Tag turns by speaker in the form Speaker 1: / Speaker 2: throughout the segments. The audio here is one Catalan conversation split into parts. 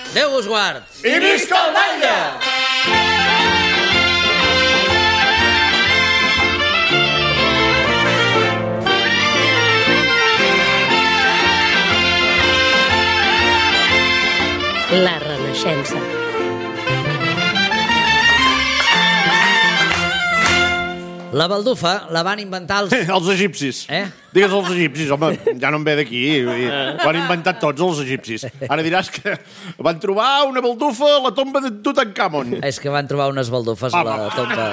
Speaker 1: Déu us guard!
Speaker 2: I visca el batlle!
Speaker 3: La Renaixença.
Speaker 1: La baldufa la van inventar els...
Speaker 2: Els egipcis. Digues els egipcis, home, ja no em ve d'aquí. Ho han inventat tots, els egipcis. Ara diràs que van trobar una baldufa a la tomba de Tutankamon.
Speaker 1: És que van trobar unes baldufes a la tomba...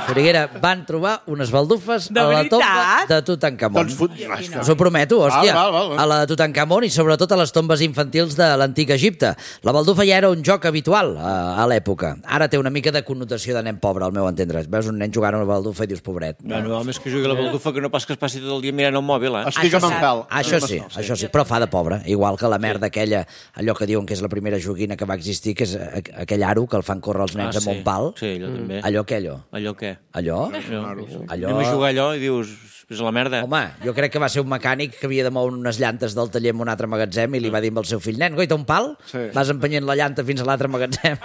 Speaker 1: Soriguera, van trobar unes baldufes a la tomba de Tutankamon. Us ho prometo, hòstia. A la de Tutankamon i sobretot a les tombes infantils de l'antic Egipte. La baldufa ja era un joc habitual a l'època. Ara té una mica de connotació de nen pobre, al meu entendre. Veus un nen jugant a una baldufa i dius, pobret.
Speaker 4: Bueno, més que jugui a la baldufa que no pas que es passi tot el dia mirant el mòbil,
Speaker 2: Estic amb en Fel.
Speaker 1: Això sí, però fa de pobre. Igual que la merda aquella, allò que diuen que és la primera joguina que va existir, que és aquell aro que el fan córrer els nens amb un pal.
Speaker 4: Sí, allò també.
Speaker 1: Allò què, allò?
Speaker 4: Allò què?
Speaker 1: Allò?
Speaker 4: Anem a jugar allò i dius, és la merda.
Speaker 1: Home, jo crec que va ser un mecànic que havia de moure unes llantes del taller en un altre magatzem i li va dir amb el seu fill, nen, goita, un pal? Vas empenyent la llanta fins a l'altre magatzem.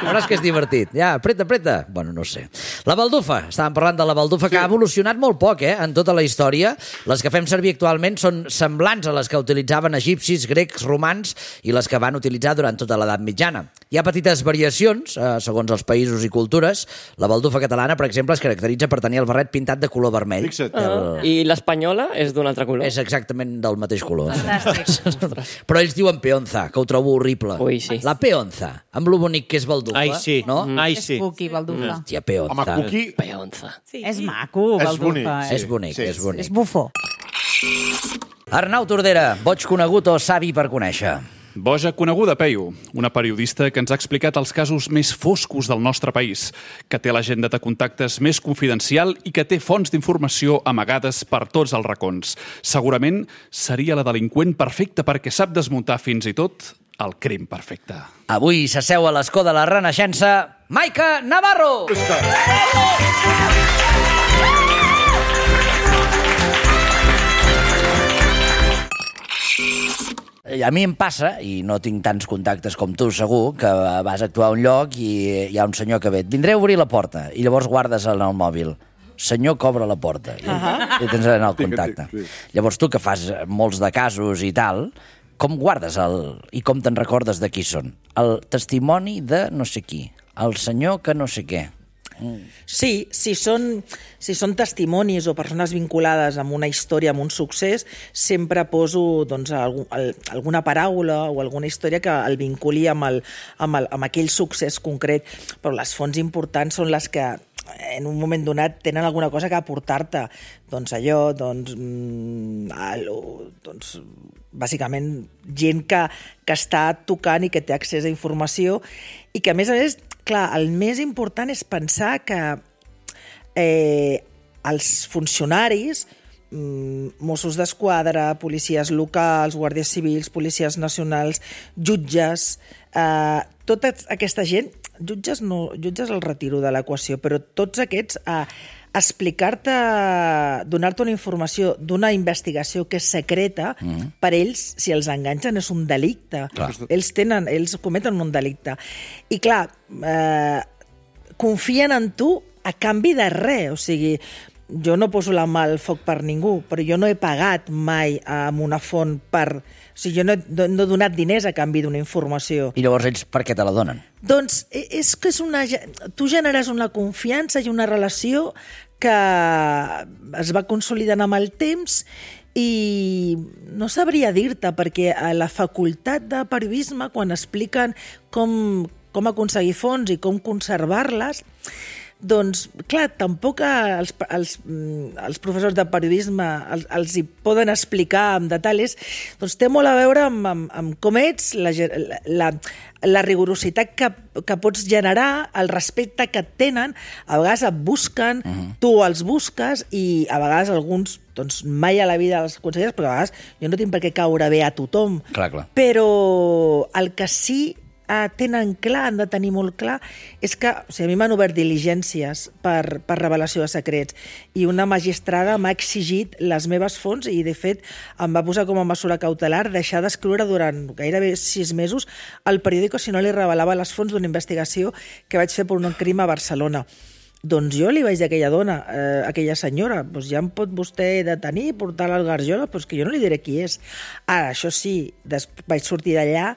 Speaker 1: Veuràs que és divertit. Ja, apreta. Bueno, no sé. La baldufa. Estàvem parlant de la baldufa, que ha evolucionat molt poc, en tota la història. Les que fem servir actualment són semblants a les que utilitzaven egipcis, grecs, romans i les que van utilitzar durant tota l'edat mitjana. Hi ha petites variacions, segons els països i cultures. La baldufa catalana, per exemple, es caracteritza per tenir el barret pintat de color vermell.
Speaker 5: I l'espanyola és d'un altre color.
Speaker 1: És exactament del mateix color.
Speaker 6: Fantàstic.
Speaker 1: Però ells diuen peonza, que ho trobo horrible.
Speaker 5: Ui, sí.
Speaker 1: La peonza, amb lo bonic que és baldufa.
Speaker 4: Ai, sí.
Speaker 1: No?
Speaker 4: Ai,
Speaker 6: És
Speaker 4: sí.
Speaker 6: cuqui, baldufa.
Speaker 1: Hòstia, peonza.
Speaker 2: Home, cuqui...
Speaker 5: Peonza.
Speaker 6: És maco, baldufa.
Speaker 1: És bonic.
Speaker 6: És bufó.
Speaker 1: Arnau Tordera, boig conegut o savi per conèixer?
Speaker 7: Boja coneguda, Peyu, una periodista que ens ha explicat els casos més foscos del nostre país, que té l'agenda de contactes més confidencial i que té fonts d'informació amagades per tots els racons. Segurament seria la delinqüent perfecta perquè sap desmuntar fins i tot el crim perfecte.
Speaker 1: Avui s'asseu a l'escó de la Renaixença, Maica Navarro! A mi em passa, i no tinc tants contactes com tu, segur, que vas actuar a un lloc i hi ha un senyor que ve. Vindré a obrir la porta, i llavors guardes en el mòbil. Senyor que obre la porta. I tens en el contacte. Llavors tu, que fas molts de casos i tal, com guardes i com te'n recordes de qui són? El testimoni de no sé qui. El senyor que no sé què.
Speaker 8: Sí, si són testimonis o persones vinculades amb una història, amb un succés, sempre poso doncs, alguna paraula o alguna història que el vinculi amb aquell succés concret. Però les fonts importants són les que en un moment donat tenen alguna cosa que aportar-te. Doncs allò, bàsicament gent que està tocant i que té accés a informació i que, a més, clar, el més important és pensar que els funcionaris, Mossos d'Esquadra, policies locals, guàrdies civils, policies nacionals, jutges, tota aquesta gent, jutges el retiro de l'equació, però tots aquests explicar-te, donar-te una informació d'una investigació que és secreta, per ells, si els enganxen, és un delicte. Ells cometen un delicte. I clar, confien en tu a canvi de res. O sigui, jo no poso la mà al foc per ningú, però jo no he pagat mai amb una font per... O sigui, jo no he donat diners a canvi d'una informació.
Speaker 1: I llavors ells per què te la donen?
Speaker 8: Doncs és que tu generes una confiança i una relació que es va consolidant amb el temps i no sabria dir-te, perquè a la facultat de periodisme, quan expliquen com aconseguir fons i com conservar-les, doncs, clar, tampoc els professors de periodisme els hi poden explicar amb detalls. Doncs té molt a veure amb com ets, la rigorositat que pots generar, el respecte que et tenen. A vegades et busquen, tu els busques, i a vegades alguns doncs mai a la vida els aconseguires, perquè a vegades jo no tinc per què caure bé a tothom.
Speaker 1: Clar.
Speaker 8: Però el que sí tenen clar, han de tenir molt clar, és que a mi m'han obert diligències per revelació de secrets i una magistrada m'ha exigit les meves fonts i, de fet, em va posar com a mesura cautelar deixar d'escriure durant gairebé 6 mesos al periòdico si no li revelava les fonts d'una investigació que vaig fer per un crim a Barcelona. Doncs jo li vaig dir a aquella dona, a aquella senyora, doncs ja em pot vostè detenir, portar-la al Garjola, doncs que jo no li diré qui és. Ara, això sí, vaig sortir d'allà,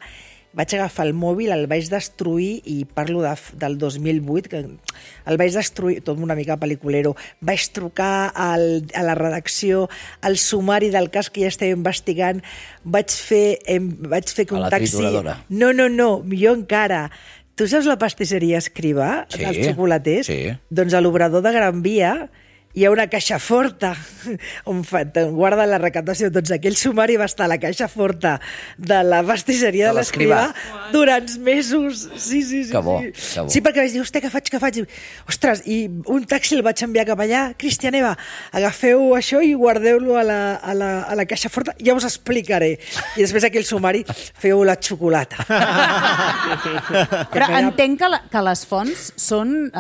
Speaker 8: vaig agafar el mòbil, el vaig destruir, i parlo del 2008, que el vaig destruir, tot una mica pel·liculero, vaig trucar a la redacció, al sumari del cas que ja estava investigant, vaig fer que un taxi...
Speaker 1: A la trituradora.
Speaker 8: No, millor encara. Tu saps la pastisseria Escrivà,
Speaker 1: sí,
Speaker 8: dels xocolaters?
Speaker 1: Sí.
Speaker 8: Doncs a l'obrador de Gran Via hi ha una caixa forta on guarden la recaptació. Doncs aquell sumari va estar a la caixa forta de la pastisseria de l'Escrivà durant mesos. Sí.
Speaker 1: Que bo, que bo.
Speaker 8: Sí, perquè vaig dir, hòstia, què faig? Ostres, i un taxi el vaig enviar cap allà. Cristian, Eva, agafeu això i guardeu-lo a la caixa forta, ja us explicaré. I després aquell sumari, feu la xocolata.
Speaker 6: Però entenc que les fonts són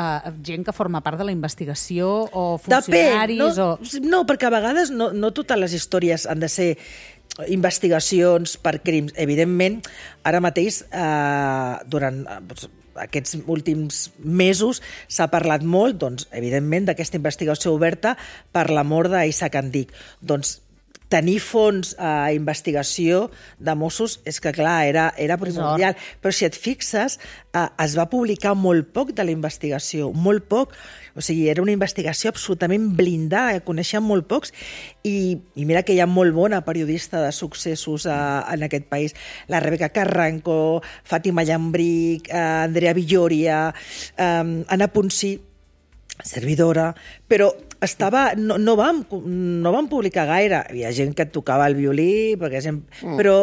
Speaker 6: gent que forma part de la investigació o funcionaris
Speaker 8: no, perquè a vegades no totes les històries han de ser investigacions per crims. Evidentment, ara mateix, durant aquests últims mesos, s'ha parlat molt, doncs, evidentment, d'aquesta investigació oberta per la mort d'Isaac Andic. Doncs tenir fons a investigació de Mossos és que, clar, era primordial. Però si et fixes, es va publicar molt poc de la investigació, molt poc. O sigui, era una investigació absolutament blindada, coneixen molt pocs, i mira que hi ha molt bona periodista de successos en aquest país. La Rebeca Carranco, Fàtima Llambric, Andrea Villoria, Anna Ponsí, servidora, però no vam publicar gaire. Hi ha gent que tocava el violí, però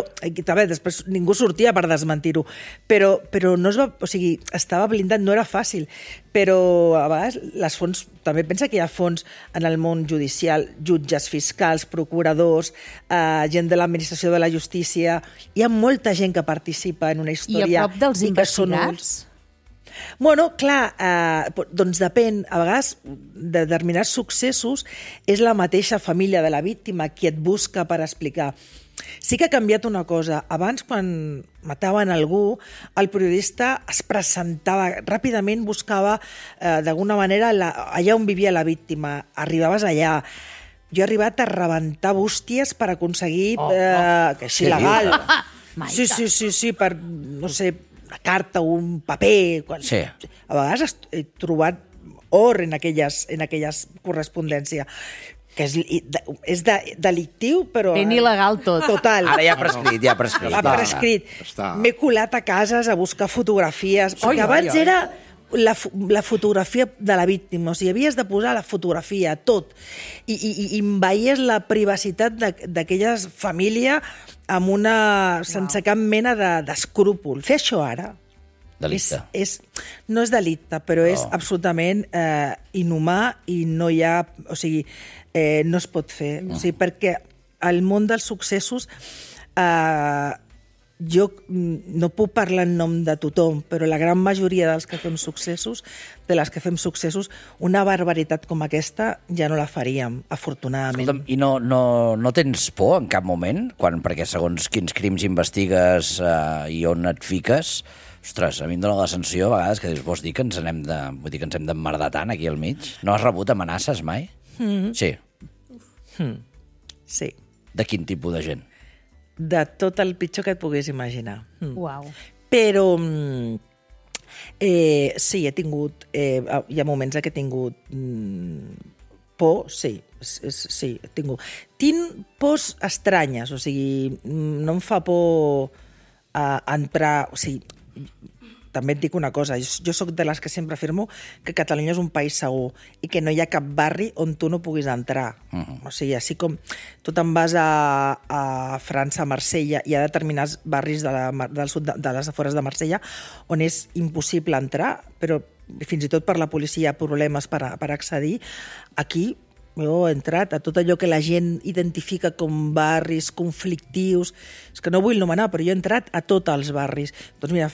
Speaker 8: també després ningú sortia per desmentir-ho. Però no es va, o sigui, estava blindat, no era fàcil. Però a vegades les fonts, també pensa que hi ha fonts en el món judicial, jutges, fiscals, procuradors, gent de l'administració de la justícia. Hi ha molta gent que participa en una història.
Speaker 6: I a prop dels investigats?
Speaker 8: Bueno, clar, doncs depèn. A vegades, de determinats successos, és la mateixa família de la víctima qui et busca per explicar. Sí que ha canviat una cosa. Abans, quan mataven algú, el periodista es presentava ràpidament, buscava d'alguna manera allà on vivia la víctima. Arribaves allà. Jo he arribat a rebentar bústies per aconseguir que així legal. Sí, per, no sé, una carta o un paper.
Speaker 1: Sí.
Speaker 8: A vegades he trobat or en aquelles correspondències, que és delictiu, però...
Speaker 6: Ben il·legal tot.
Speaker 8: Total.
Speaker 1: Ara ja ha prescrit.
Speaker 8: Ha prescrit. M'he colat a cases a buscar fotografies, perquè abans era la fotografia de la víctima, o sigui, havies de posar la fotografia, tot, i enveies la privacitat d'aquella família sense cap mena d'escrúpol. Fer això ara
Speaker 1: delicte.
Speaker 8: No és delicte, però és absolutament inhumà i no hi ha... O sigui, no es pot fer. O sigui, perquè el món dels successos... Jo no puc parlar en nom de tothom, però la gran majoria dels que fem successos, de les que fem successos, una barbaritat com aquesta ja no la faríem, afortunadament.
Speaker 1: Escolta'm, i no tens por en cap moment? Perquè segons quins crims investigues i on et fiques, ostres, a mi em dóna la sensació a vegades que dius, vols dir que ens hem d'emmerdar tant aquí al mig? No has rebut amenaces mai? Sí.
Speaker 8: Sí.
Speaker 1: De quin tipus de gent?
Speaker 8: De tot el pitjor que et puguis imaginar.
Speaker 6: Uau.
Speaker 8: Però sí, he tingut... hi ha moments que he tingut por, sí, he tingut. Tinc pors estranyes, o sigui, no em fa por entrar... O sigui, també et dic una cosa, jo sóc de les que sempre afirmo que Catalunya és un país segur i que no hi ha cap barri on tu no puguis entrar. O sigui, així com tu te'n vas a França, a Marsella, hi ha determinats barris del sud, de les afores de Marsella, on és impossible entrar, però fins i tot per la policia hi ha problemes per accedir. Aquí jo he entrat a tot allò que la gent identifica com barris conflictius. És que no vull nomenar, però jo he entrat a tots els barris. Doncs mira,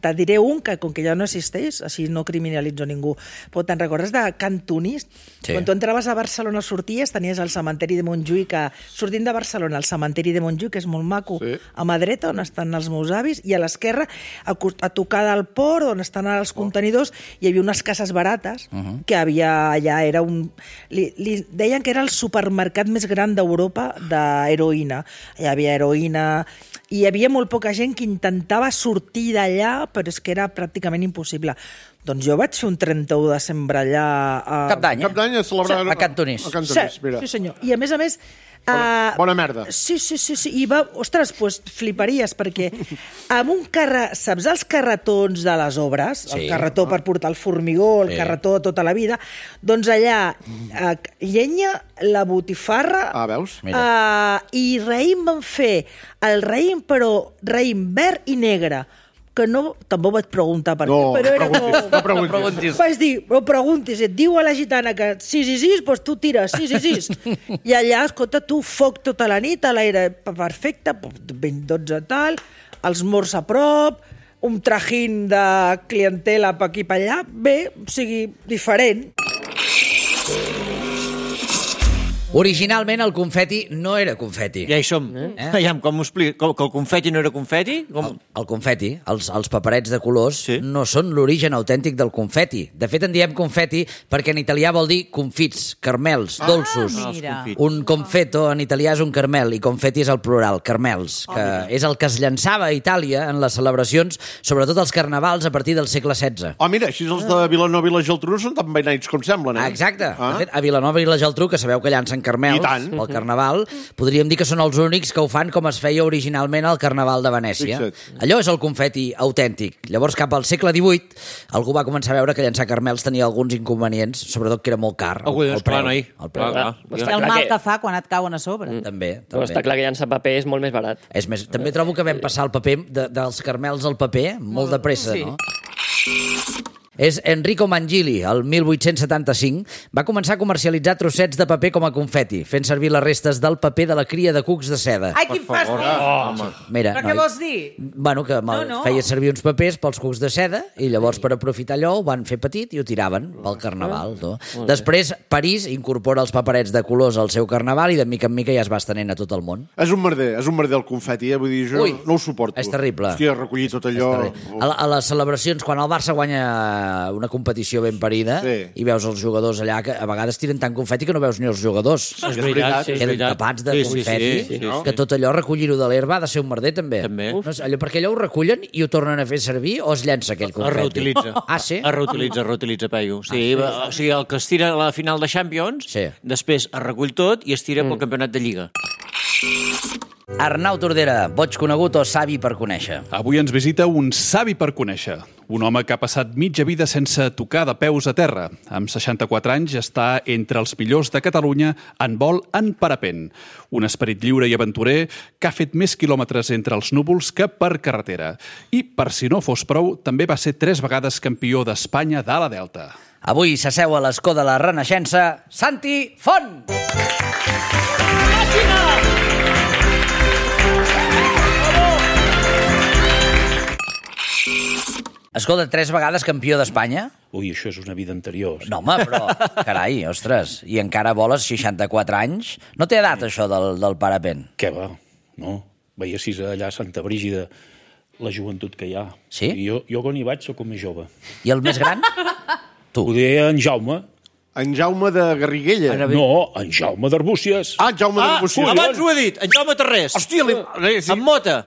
Speaker 8: te diré un que, com que ja no existeix, així no criminalitzo ningú, però te'n recordes de Cantonís?
Speaker 1: Sí.
Speaker 8: Quan tu entraves a Barcelona, sorties, tenies el cementeri de Montjuïc, que sortint de Barcelona, el cementeri de Montjuïc, que és molt maco, a mà dreta, on estan els meus avis, i a l'esquerra, a tocar del port, on estan els contenidors, hi havia unes cases barates, que havia allà, era un... Li deien que era el supermercat més gran d'Europa d'heroïna. Hi havia heroïna, i hi havia molt poca gent que intentava sortir d'allà, però és que era pràcticament impossible. Doncs jo vaig fer un 31 de desembre allà...
Speaker 1: Cap d'any,
Speaker 2: Cap d'any a celebrar...
Speaker 1: A Cantonís.
Speaker 2: A Cantonís, mira.
Speaker 8: Sí, senyor. I a més...
Speaker 2: Bona merda.
Speaker 8: Sí. I va... Ostres, doncs fliparies, perquè amb un saps els carretons de les obres?
Speaker 1: Sí.
Speaker 8: El carretó per portar el formigó, el carretó tota la vida. Doncs allà, llenya, la botifarra...
Speaker 2: Veus?
Speaker 8: I raïm van fer el raïm, però raïm verd i negre, que no, tampoc vaig preguntar per què, però era
Speaker 2: no preguntis.
Speaker 8: Vaig dir, no preguntis, et diu a la gitana que 6 i 6, doncs tu tires 6 i 6. I allà, escolta, tu, foc tota la nit, a l'aire perfecte, 12 tal, els morts a prop, un trajín de clientela per aquí per allà, bé, o sigui, diferent.
Speaker 1: Originalment el confeti no era confeti.
Speaker 4: Ja hi som. Aviam, com m'ho explico? Que el confeti no era confeti?
Speaker 1: El confeti, els paperets de colors, no són l'origen autèntic del confeti. De fet, en diem confeti perquè en italià vol dir confits, carmels, dolços.
Speaker 6: Mira.
Speaker 1: Un confeto en italià és un carmel i confeti és el plural, carmels, que és el que es llançava a Itàlia en les celebracions, sobretot els carnavals a partir del segle XVI.
Speaker 2: Mira, així els de Vilanova i la Geltrú són tan beneits com semblen,
Speaker 1: Exacte. De fet, a Vilanova i la Geltrú, que sabeu que llancen carmels pel Carnaval, podríem dir que són els únics que ho fan com es feia originalment al Carnaval de Venècia. Allò és el confeti autèntic. Llavors, cap al segle XVIII, algú va començar a veure que llançar carmels tenia alguns inconvenients, sobretot que era molt car. El preu.
Speaker 6: El mal que fa quan et cauen a sobre.
Speaker 1: També.
Speaker 5: Però està clar que llançar paper és molt més barat.
Speaker 1: També trobo que vam passar el paper dels carmels al paper molt de pressa, no? És Enrico Mangili, el 1875, va començar a comercialitzar trossets de paper com a confeti, fent servir les restes del paper de la cria de cucs de seda.
Speaker 6: Ai, quin fàstic!
Speaker 1: Mira,
Speaker 6: Però què vols dir?
Speaker 1: Bueno, que feia servir uns papers pels cucs de seda i llavors per aprofitar allò ho van fer petit i ho tiraven pel Carnaval. Després, París incorpora els paperets de colors al seu Carnaval i de mica en mica ja es va estenent a tot el món.
Speaker 2: És un merder el confeti, vull dir, jo no ho suporto.
Speaker 1: És terrible.
Speaker 2: Hòstia, recollir tot allò...
Speaker 1: A les celebracions, quan el Barça guanya una competició ben parida i veus els jugadors allà que a vegades tiren tant confeti que no veus ni els jugadors.
Speaker 4: És veritat.
Speaker 1: Queden tapats de confeti, que tot allò, recollir-ho de l'herba, ha de ser un merder, també. Perquè allò ho recullen i ho tornen a fer servir o es llença aquell confeti?
Speaker 4: Es reutilitza.
Speaker 1: Sí?
Speaker 4: Es reutilitza, Peyu. O sigui, el que es tira a la final de Champions, després es recull tot i es tira pel campionat de Lliga.
Speaker 1: Arnau Tordera, boig conegut o savi per conèixer?
Speaker 7: Avui ens visita un savi per conèixer. Un home que ha passat mitja vida sense tocar de peus a terra. Amb 64 anys està entre els millors de Catalunya en vol en parapent. Un esperit lliure i aventurer que ha fet més quilòmetres entre els núvols que per carretera. I, per si no fos prou, també va ser 3 vegades campió d'Espanya d'ala delta.
Speaker 1: Avui s'asseu a l'escó de la Renaixença, Santi Font! Màquina! Escolta, 3 vegades campió d'Espanya?
Speaker 9: Ui, això és una vida anterior.
Speaker 1: No, home, però, carai, ostres, i encara voles 64 anys? No té edat, això del parapent?
Speaker 9: Què va? No. Veiessis allà a Santa Brígida la joventut que hi ha.
Speaker 1: Sí?
Speaker 9: I jo quan hi vaig soc el més jove.
Speaker 1: I el més gran? Tu.
Speaker 9: Ho deia en Jaume.
Speaker 2: En Jaume de Garriguella.
Speaker 9: No, en Jaume d'Arbúcies.
Speaker 2: Ah, Jaume d'Arbúcies.
Speaker 4: Abans ho he dit, en Jaume Tarrés.
Speaker 2: Hòstia,
Speaker 4: en Mota.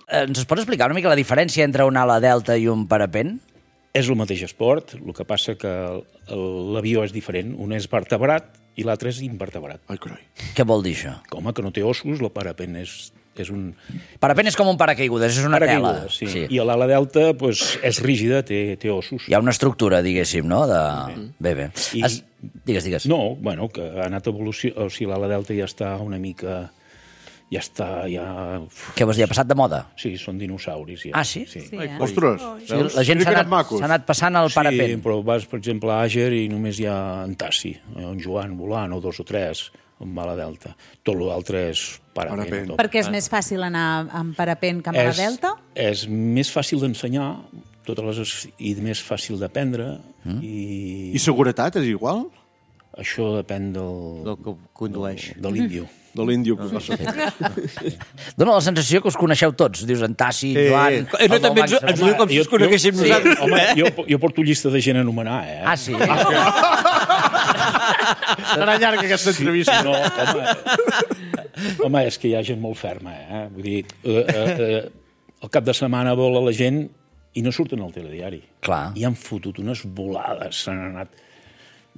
Speaker 1: Ens pots explicar una mica la diferència entre una ala delta i un parapent?
Speaker 9: És el mateix esport, el que passa que l'avió és diferent. Un és vertebrat i l'altre és invertebrat.
Speaker 2: Ai, carai.
Speaker 1: Què vol dir això?
Speaker 9: Com que no té ossos, el parapent és un...
Speaker 1: Parapent és com un paracaigudes, és una tela.
Speaker 9: Sí. I l'ala delta és rígida, té ossos.
Speaker 1: Hi ha una estructura, diguéssim, no? Bé. Digues.
Speaker 9: No, bueno, que ha anat evolució... O sigui, l'ala delta ja està una mica... Ja està,
Speaker 1: Què vols dir, ha passat de moda?
Speaker 9: Sí, són dinosauris, ja.
Speaker 1: Ah, sí?
Speaker 2: Ostres,
Speaker 1: la gent s'ha anat passant al parapent.
Speaker 9: Sí, però vas, per exemple, a Àger i només hi ha en Tassi, en Joan volant, o 2 o 3. amb ala delta. Tot l'altre és parapent.
Speaker 6: Perquè és més fàcil anar amb parapent que amb ala delta?
Speaker 9: És més fàcil d'ensenyar, i més fàcil d'aprendre.
Speaker 2: I seguretat és igual?
Speaker 9: Això depèn del
Speaker 4: que condueix.
Speaker 9: De l'índio.
Speaker 2: De l'índio que passa.
Speaker 1: Dóna la sensació que us coneixeu tots. Dius en Tassi, Joan...
Speaker 4: No, també ens diu com si us coneguéssim nosaltres.
Speaker 9: Home, jo porto llista de gent a anomenar, eh?
Speaker 1: Ah, sí?
Speaker 2: Serà llarga aquesta entrevista.
Speaker 9: No, home, és que hi ha gent molt ferma, eh? Vull dir, el cap de setmana vola la gent i no surten al telediari.
Speaker 1: Clar.
Speaker 9: I han fotut unes volades, s'han anat...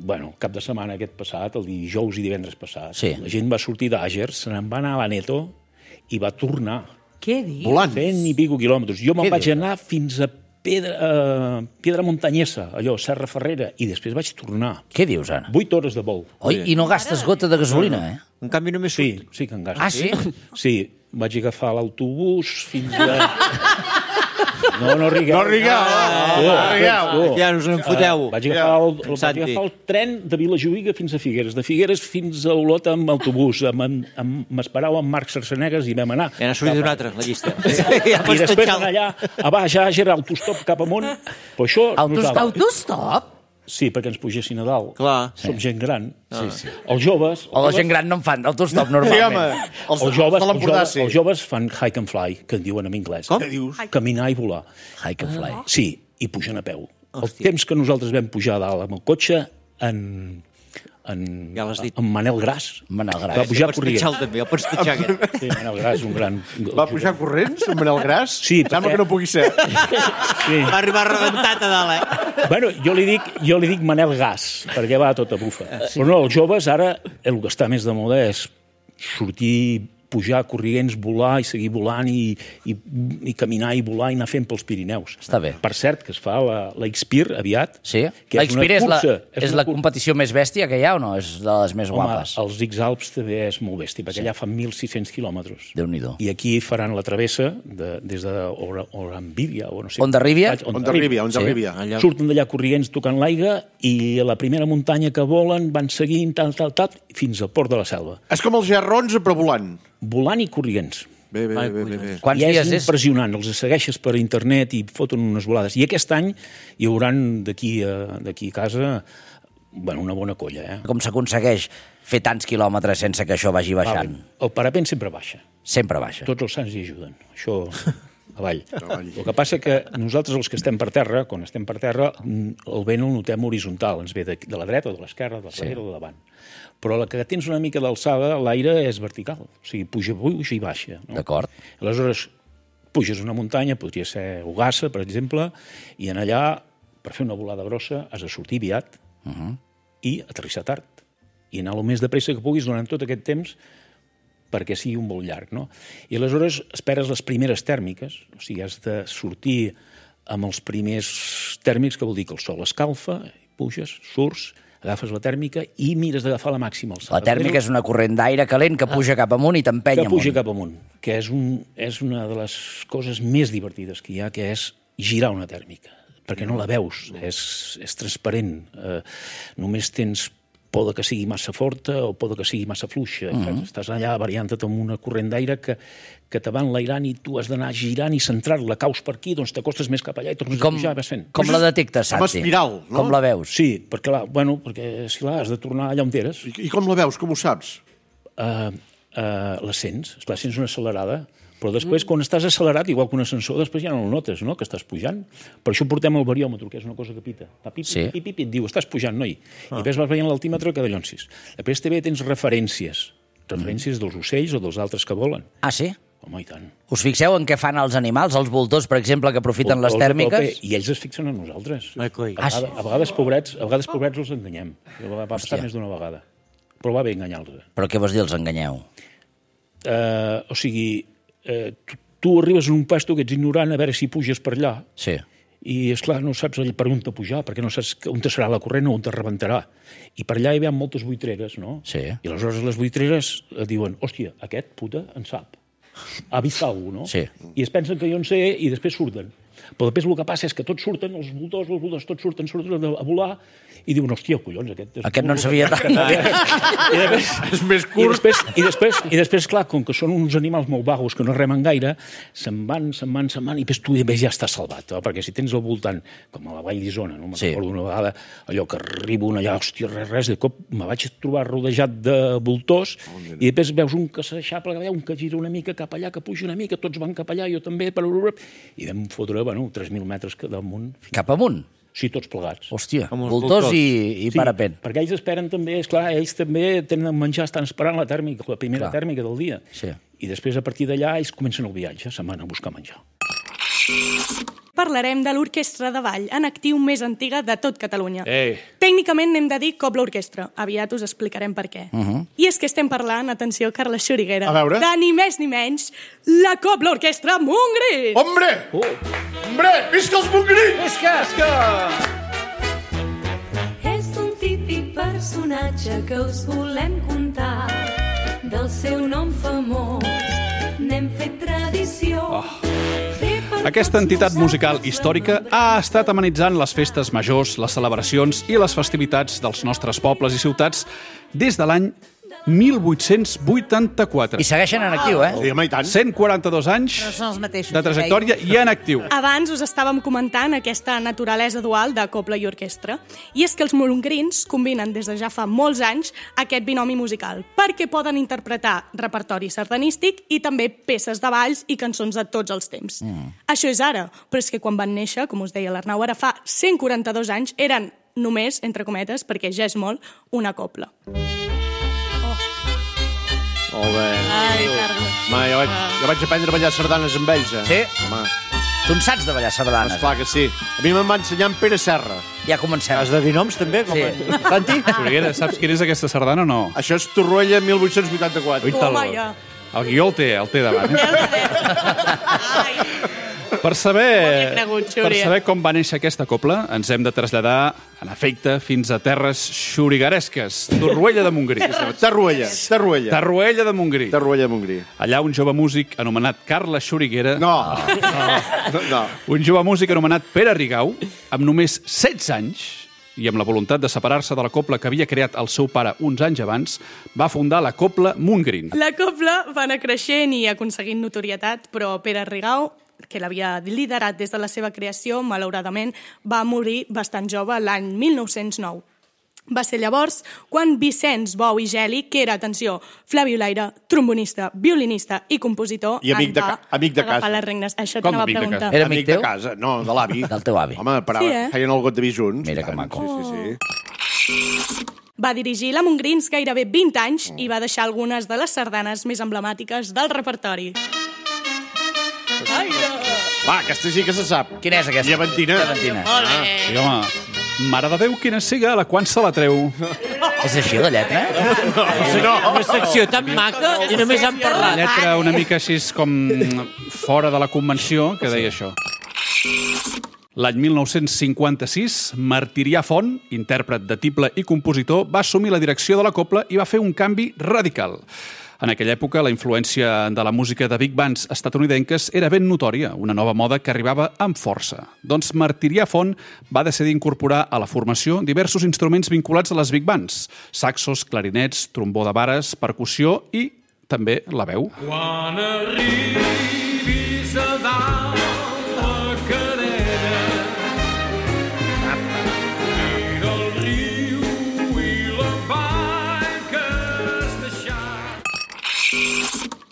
Speaker 9: Bueno, cap de setmana aquest passat, el dijous i divendres passat, la gent va sortir d'Àger, se n'en va anar a l'Aneto i va tornar.
Speaker 6: Què dius?
Speaker 2: Volant.
Speaker 9: 100 i pico quilòmetres. Jo me'n vaig anar fins a Pedra Montanyesa, allò, Serra Ferrera, i després vaig tornar.
Speaker 1: Què dius, ara?
Speaker 9: 8 hores de vol.
Speaker 1: Oi, i no gastes gota de gasolina, eh?
Speaker 4: En canvi només surt.
Speaker 9: Sí que en gasto.
Speaker 1: Ah, sí?
Speaker 9: Sí, vaig agafar l'autobús fins a... No rigueu.
Speaker 2: No rigueu.
Speaker 4: Ja us en foteu.
Speaker 9: Vaig agafar el tren de Vilajuïga fins a Figueres, de Figueres fins a Olot amb autobús. M'esperava amb Marc Sarsenegas i vam anar.
Speaker 4: Ja n'ha sortit un altre, la llista.
Speaker 9: I després anar allà, a baix, a Àger, autostop cap amunt. Però això...
Speaker 6: Autostop?
Speaker 9: Sí, perquè ens pugessin a dalt.
Speaker 4: Clar.
Speaker 9: Som gent gran. Els joves...
Speaker 1: O la gent gran no en fan autostop normalment.
Speaker 9: Els joves fan hike and fly, que en diuen en anglès.
Speaker 2: Com? Què dius?
Speaker 9: Caminar i volar.
Speaker 1: Hike and fly.
Speaker 9: Sí, i pugen a peu. El temps que nosaltres vam pujar a dalt amb el cotxe,
Speaker 4: ja l'has dit.
Speaker 9: en Manel Gras.
Speaker 1: Manel Gras.
Speaker 9: Va pujar
Speaker 4: corrents. El pots tatxar, aquest.
Speaker 9: Sí, Manel Gras, un gran...
Speaker 2: Va pujar corrents amb Manel Gras?
Speaker 9: Sí,
Speaker 2: Sembla que no pugui ser.
Speaker 9: Sí.
Speaker 4: Va arribar rebentat a dalt, eh?
Speaker 9: Bueno, jo li dic Manel Gas, perquè va a tota bufa. Però no, els joves ara, el que està més de moda és sortir, pujar corrients, volar i seguir volant i caminar i volar i anar fent pels Pirineus.
Speaker 1: Està bé.
Speaker 9: Per cert, que es fa la Xpir aviat.
Speaker 1: Sí?
Speaker 9: Que
Speaker 1: La Xpir és la
Speaker 9: cursa.
Speaker 1: competició més bèstia que hi ha o no? És de les més guapes?
Speaker 9: Home, els X-Alps també és molt bèstia, perquè allà fan 1.600 quilòmetres.
Speaker 1: Déu-n'hi-do.
Speaker 9: I aquí faran la travessa des d'Orambíria, o no sé.
Speaker 1: Ondarribia?
Speaker 2: Ondarribia.
Speaker 9: Surten d'allà corrients tocant l'aigua i a la primera muntanya que volen van seguint tal, fins al port de la Selva.
Speaker 2: És com els GR11 però volant.
Speaker 9: Volant i corrients.
Speaker 2: Bé.
Speaker 1: Quants
Speaker 9: I és
Speaker 1: dies és?
Speaker 9: impressionant, els segueixes per internet i foten unes volades. I aquest any hi haurà d'aquí a casa una bona colla. Eh?
Speaker 1: Com s'aconsegueix fer tants quilòmetres sense que això vagi baixant?
Speaker 9: El parapent sempre baixa.
Speaker 1: Sempre baixa.
Speaker 9: Tots els sants hi ajuden. Això avall. El que passa que nosaltres, els que estem per terra, quan estem per terra, el vent el notem horitzontal. Ens ve de la dreta o de l'esquerra, de darrere o de davant. Però la que tens una mica d'alçada, l'aire és vertical. O sigui, puja i baixa. No?
Speaker 1: D'acord.
Speaker 9: Aleshores, puges una muntanya, podria ser Ugassa, per exemple, i en allà, per fer una volada grossa, has de sortir aviat i aterrissar tard. I anar el més de pressa que puguis durant tot aquest temps perquè sigui un vol llarg, no? I aleshores esperes les primeres tèrmiques, o sigui, has de sortir amb els primers tèrmics, que vol dir que el sol escalfa, puges, surts, agafes la tèrmica i mires d'agafar la màxima alçada.
Speaker 1: La tèrmica és una corrent d'aire calent que puja cap amunt i t'empenya amunt.
Speaker 9: Que puja cap amunt, que és una de les coses més divertides que hi ha, que és girar una tèrmica, perquè no la veus, és transparent. Només tens por que sigui massa forta o por que sigui massa fluixa. Estàs allà variant-te amb una corrent d'aire que te va enlairant i tu has d'anar girant i centrar-la. Caus per aquí, doncs t'acostes més cap allà i tornes a pujar i vas fent.
Speaker 1: Com la detectes, Santi?
Speaker 2: Com espiral, no?
Speaker 1: Com la veus?
Speaker 9: Sí, perquè si has de tornar allà on eres.
Speaker 2: I com la veus? Com ho saps?
Speaker 9: La sents una accelerada, però després, quan estàs accelerat, igual que un ascensor, després ja no el notes, no?, que estàs pujant. Per això portem el bariòmetre, que és una cosa que pita. Fa pip, et diu, estàs pujant, noi. I després vas veient l'altímetre que dallonsis. Després també tens referències dels ocells o dels altres que volen.
Speaker 1: Ah, sí?
Speaker 9: Home, i tant.
Speaker 1: Us fixeu en què fan els animals, els voltors, per exemple, que aprofiten les tèrmiques?
Speaker 9: I ells es fixen en nosaltres.
Speaker 1: Ah, sí?
Speaker 9: A vegades, pobrets, els enganyem. Va passar més d'una vegada. Però va bé enganyar-los.
Speaker 1: Però què vols dir, els enganyeu?
Speaker 9: O sigui, tu arribes en un pasto que ets ignorant a veure si puges per allà.
Speaker 1: Sí.
Speaker 9: I, esclar, no saps per on te pujar, perquè no saps on te serà la corrent o on te rebentarà. I per allà hi ha moltes buitreres, no?
Speaker 1: Sí.
Speaker 9: I aleshores les buitreres diuen, hòstia, aquest puta en sap. Ha vist alguna cosa, no?
Speaker 1: Sí.
Speaker 9: I es pensen que jo en sé i després surten. Però després el que passa és que tots surten, els voltors, tots surten a volar, i diuen, hòstia, collons,
Speaker 1: aquest no en sabia tant.
Speaker 2: És més curt.
Speaker 9: I després, clar, com que són uns animals molt vagos que no remen gaire, se'n van, i després tu ja estàs salvat, perquè si tens al voltant, com a la Vall d'Isona, no? Me'n recordo una vegada, allò que arribo allà, hòstia, res, de cop me vaig trobar rodejat de voltors, i després veus un que s'aixapla, un que gira una mica cap allà, que puja una mica, tots van cap allà, jo també, i vam fotre, 3.000 metres damunt.
Speaker 1: Cap amunt?
Speaker 9: Sí, tots plegats.
Speaker 1: Hòstia, voltors i parapent.
Speaker 9: Sí, perquè ells esperen també, esclar, ells també tenen menjar, estan esperant la tèrmica, la primera tèrmica del dia.
Speaker 1: Sí.
Speaker 9: I després, a partir d'allà, ells comencen el viatge, se'n van a buscar menjar.
Speaker 10: Parlarem de l'orquestra de ball en actiu més antiga de tot Catalunya.
Speaker 7: Ei.
Speaker 10: Tècnicament n'hem de dir Cobla Orquestra. Aviat us explicarem per què. I és que estem parlant, atenció, Carla Xuriguera, de ni més ni menys la Cobla Orquestra Montgrí!
Speaker 2: Hombre! Hombre! Visca els Montgrins!
Speaker 1: Visca!
Speaker 11: És un típic personatge que us volem contar. Del seu nom famós n'hem fet tradició.
Speaker 7: Aquesta entitat musical històrica ha estat amenitzant les festes majors, les celebracions i les festivitats dels nostres pobles i ciutats des de l'any 1884.
Speaker 1: I segueixen en actiu, eh?
Speaker 2: Sí, home, i tant.
Speaker 1: 142 anys de trajectòria i en actiu.
Speaker 10: Abans us estàvem comentant aquesta naturalesa dual de cobla i orquestra. I és que els montgrins combinen des de ja fa molts anys aquest binomi musical, perquè poden interpretar repertori sardanístic i també peces de balls i cançons de tots els temps. Això és ara, però és que quan van néixer, com us deia l'Arnau, ara fa 142 anys, eren només, entre cometes, perquè ja és molt, una cobla.
Speaker 2: Molt bé.
Speaker 10: Ai, Carles.
Speaker 2: Home, jo vaig aprendre a ballar sardanes amb ells, eh?
Speaker 1: Sí?
Speaker 2: Home.
Speaker 1: Tu en saps de ballar sardanes?
Speaker 2: Esclar que sí. A mi me'n va ensenyar en Pere Serra.
Speaker 1: Ja comencem.
Speaker 4: Has de dir noms, també?
Speaker 1: Sí.
Speaker 4: Santi?
Speaker 7: Xuriguera, saps quina és aquesta sardana o no?
Speaker 2: Això és Torroella 1884.
Speaker 10: Home, ja.
Speaker 7: El guió el té davant. Per saber com va néixer aquesta cobla, ens hem de traslladar, en efecte, fins a terres xurigueresques. Torroella de Montgrí.
Speaker 2: Torroella
Speaker 7: de Montgrí.
Speaker 2: Torroella de Montgrí.
Speaker 7: Allà un jove músic anomenat Carles Xuriguera...
Speaker 2: No.
Speaker 7: Un jove músic anomenat Pere Rigau, amb només 16 anys, i amb la voluntat de separar-se de la cobla que havia creat el seu pare uns anys abans, va fundar la cobla Montgrí.
Speaker 10: La cobla va anar creixent i aconseguint notorietat, però Pere Rigau, que l'havia liderat des de la seva creació, malauradament va morir bastant jove l'any 1909. Va ser llavors quan Vicenç Bou i Geli, que era, atenció, flabiolaire, trombonista, violinista i compositor,
Speaker 2: i amic de casa.
Speaker 10: Les regnes. Això t'anava a preguntar.
Speaker 1: Era amic
Speaker 2: de casa? No, de l'avi.
Speaker 1: Del teu avi.
Speaker 2: Home, feien el got de vi junts.
Speaker 1: Mira que maco.
Speaker 2: Sí.
Speaker 10: Va dirigir la Montgrins gairebé 20 anys i va deixar algunes de les sardanes més emblemàtiques del repertori.
Speaker 2: Va, aquesta sí que se sap.
Speaker 1: Quina és aquesta?
Speaker 2: Llevantina.
Speaker 7: Sí, home, mare de Déu, quina siga, la quan se la treu.
Speaker 1: És així, la lletra?
Speaker 4: No. Una secció tan maca i només han parlat.
Speaker 7: La lletra una mica així com fora de la convenció, que deia això. L'any 1956, Martirià Font, intèrpret de tible i compositor, va assumir la direcció de la cobla i va fer un canvi radical. En aquella època, la influència de la música de big bands estatunidenques era ben notòria, una nova moda que arribava amb força. Doncs Martirià Font va decidir incorporar a la formació diversos instruments vinculats a les big bands: saxos, clarinets, trombó de vares, percussió i també la veu.
Speaker 12: Quan arribis a dalt la carena, mira el riu i la vall que has deixat.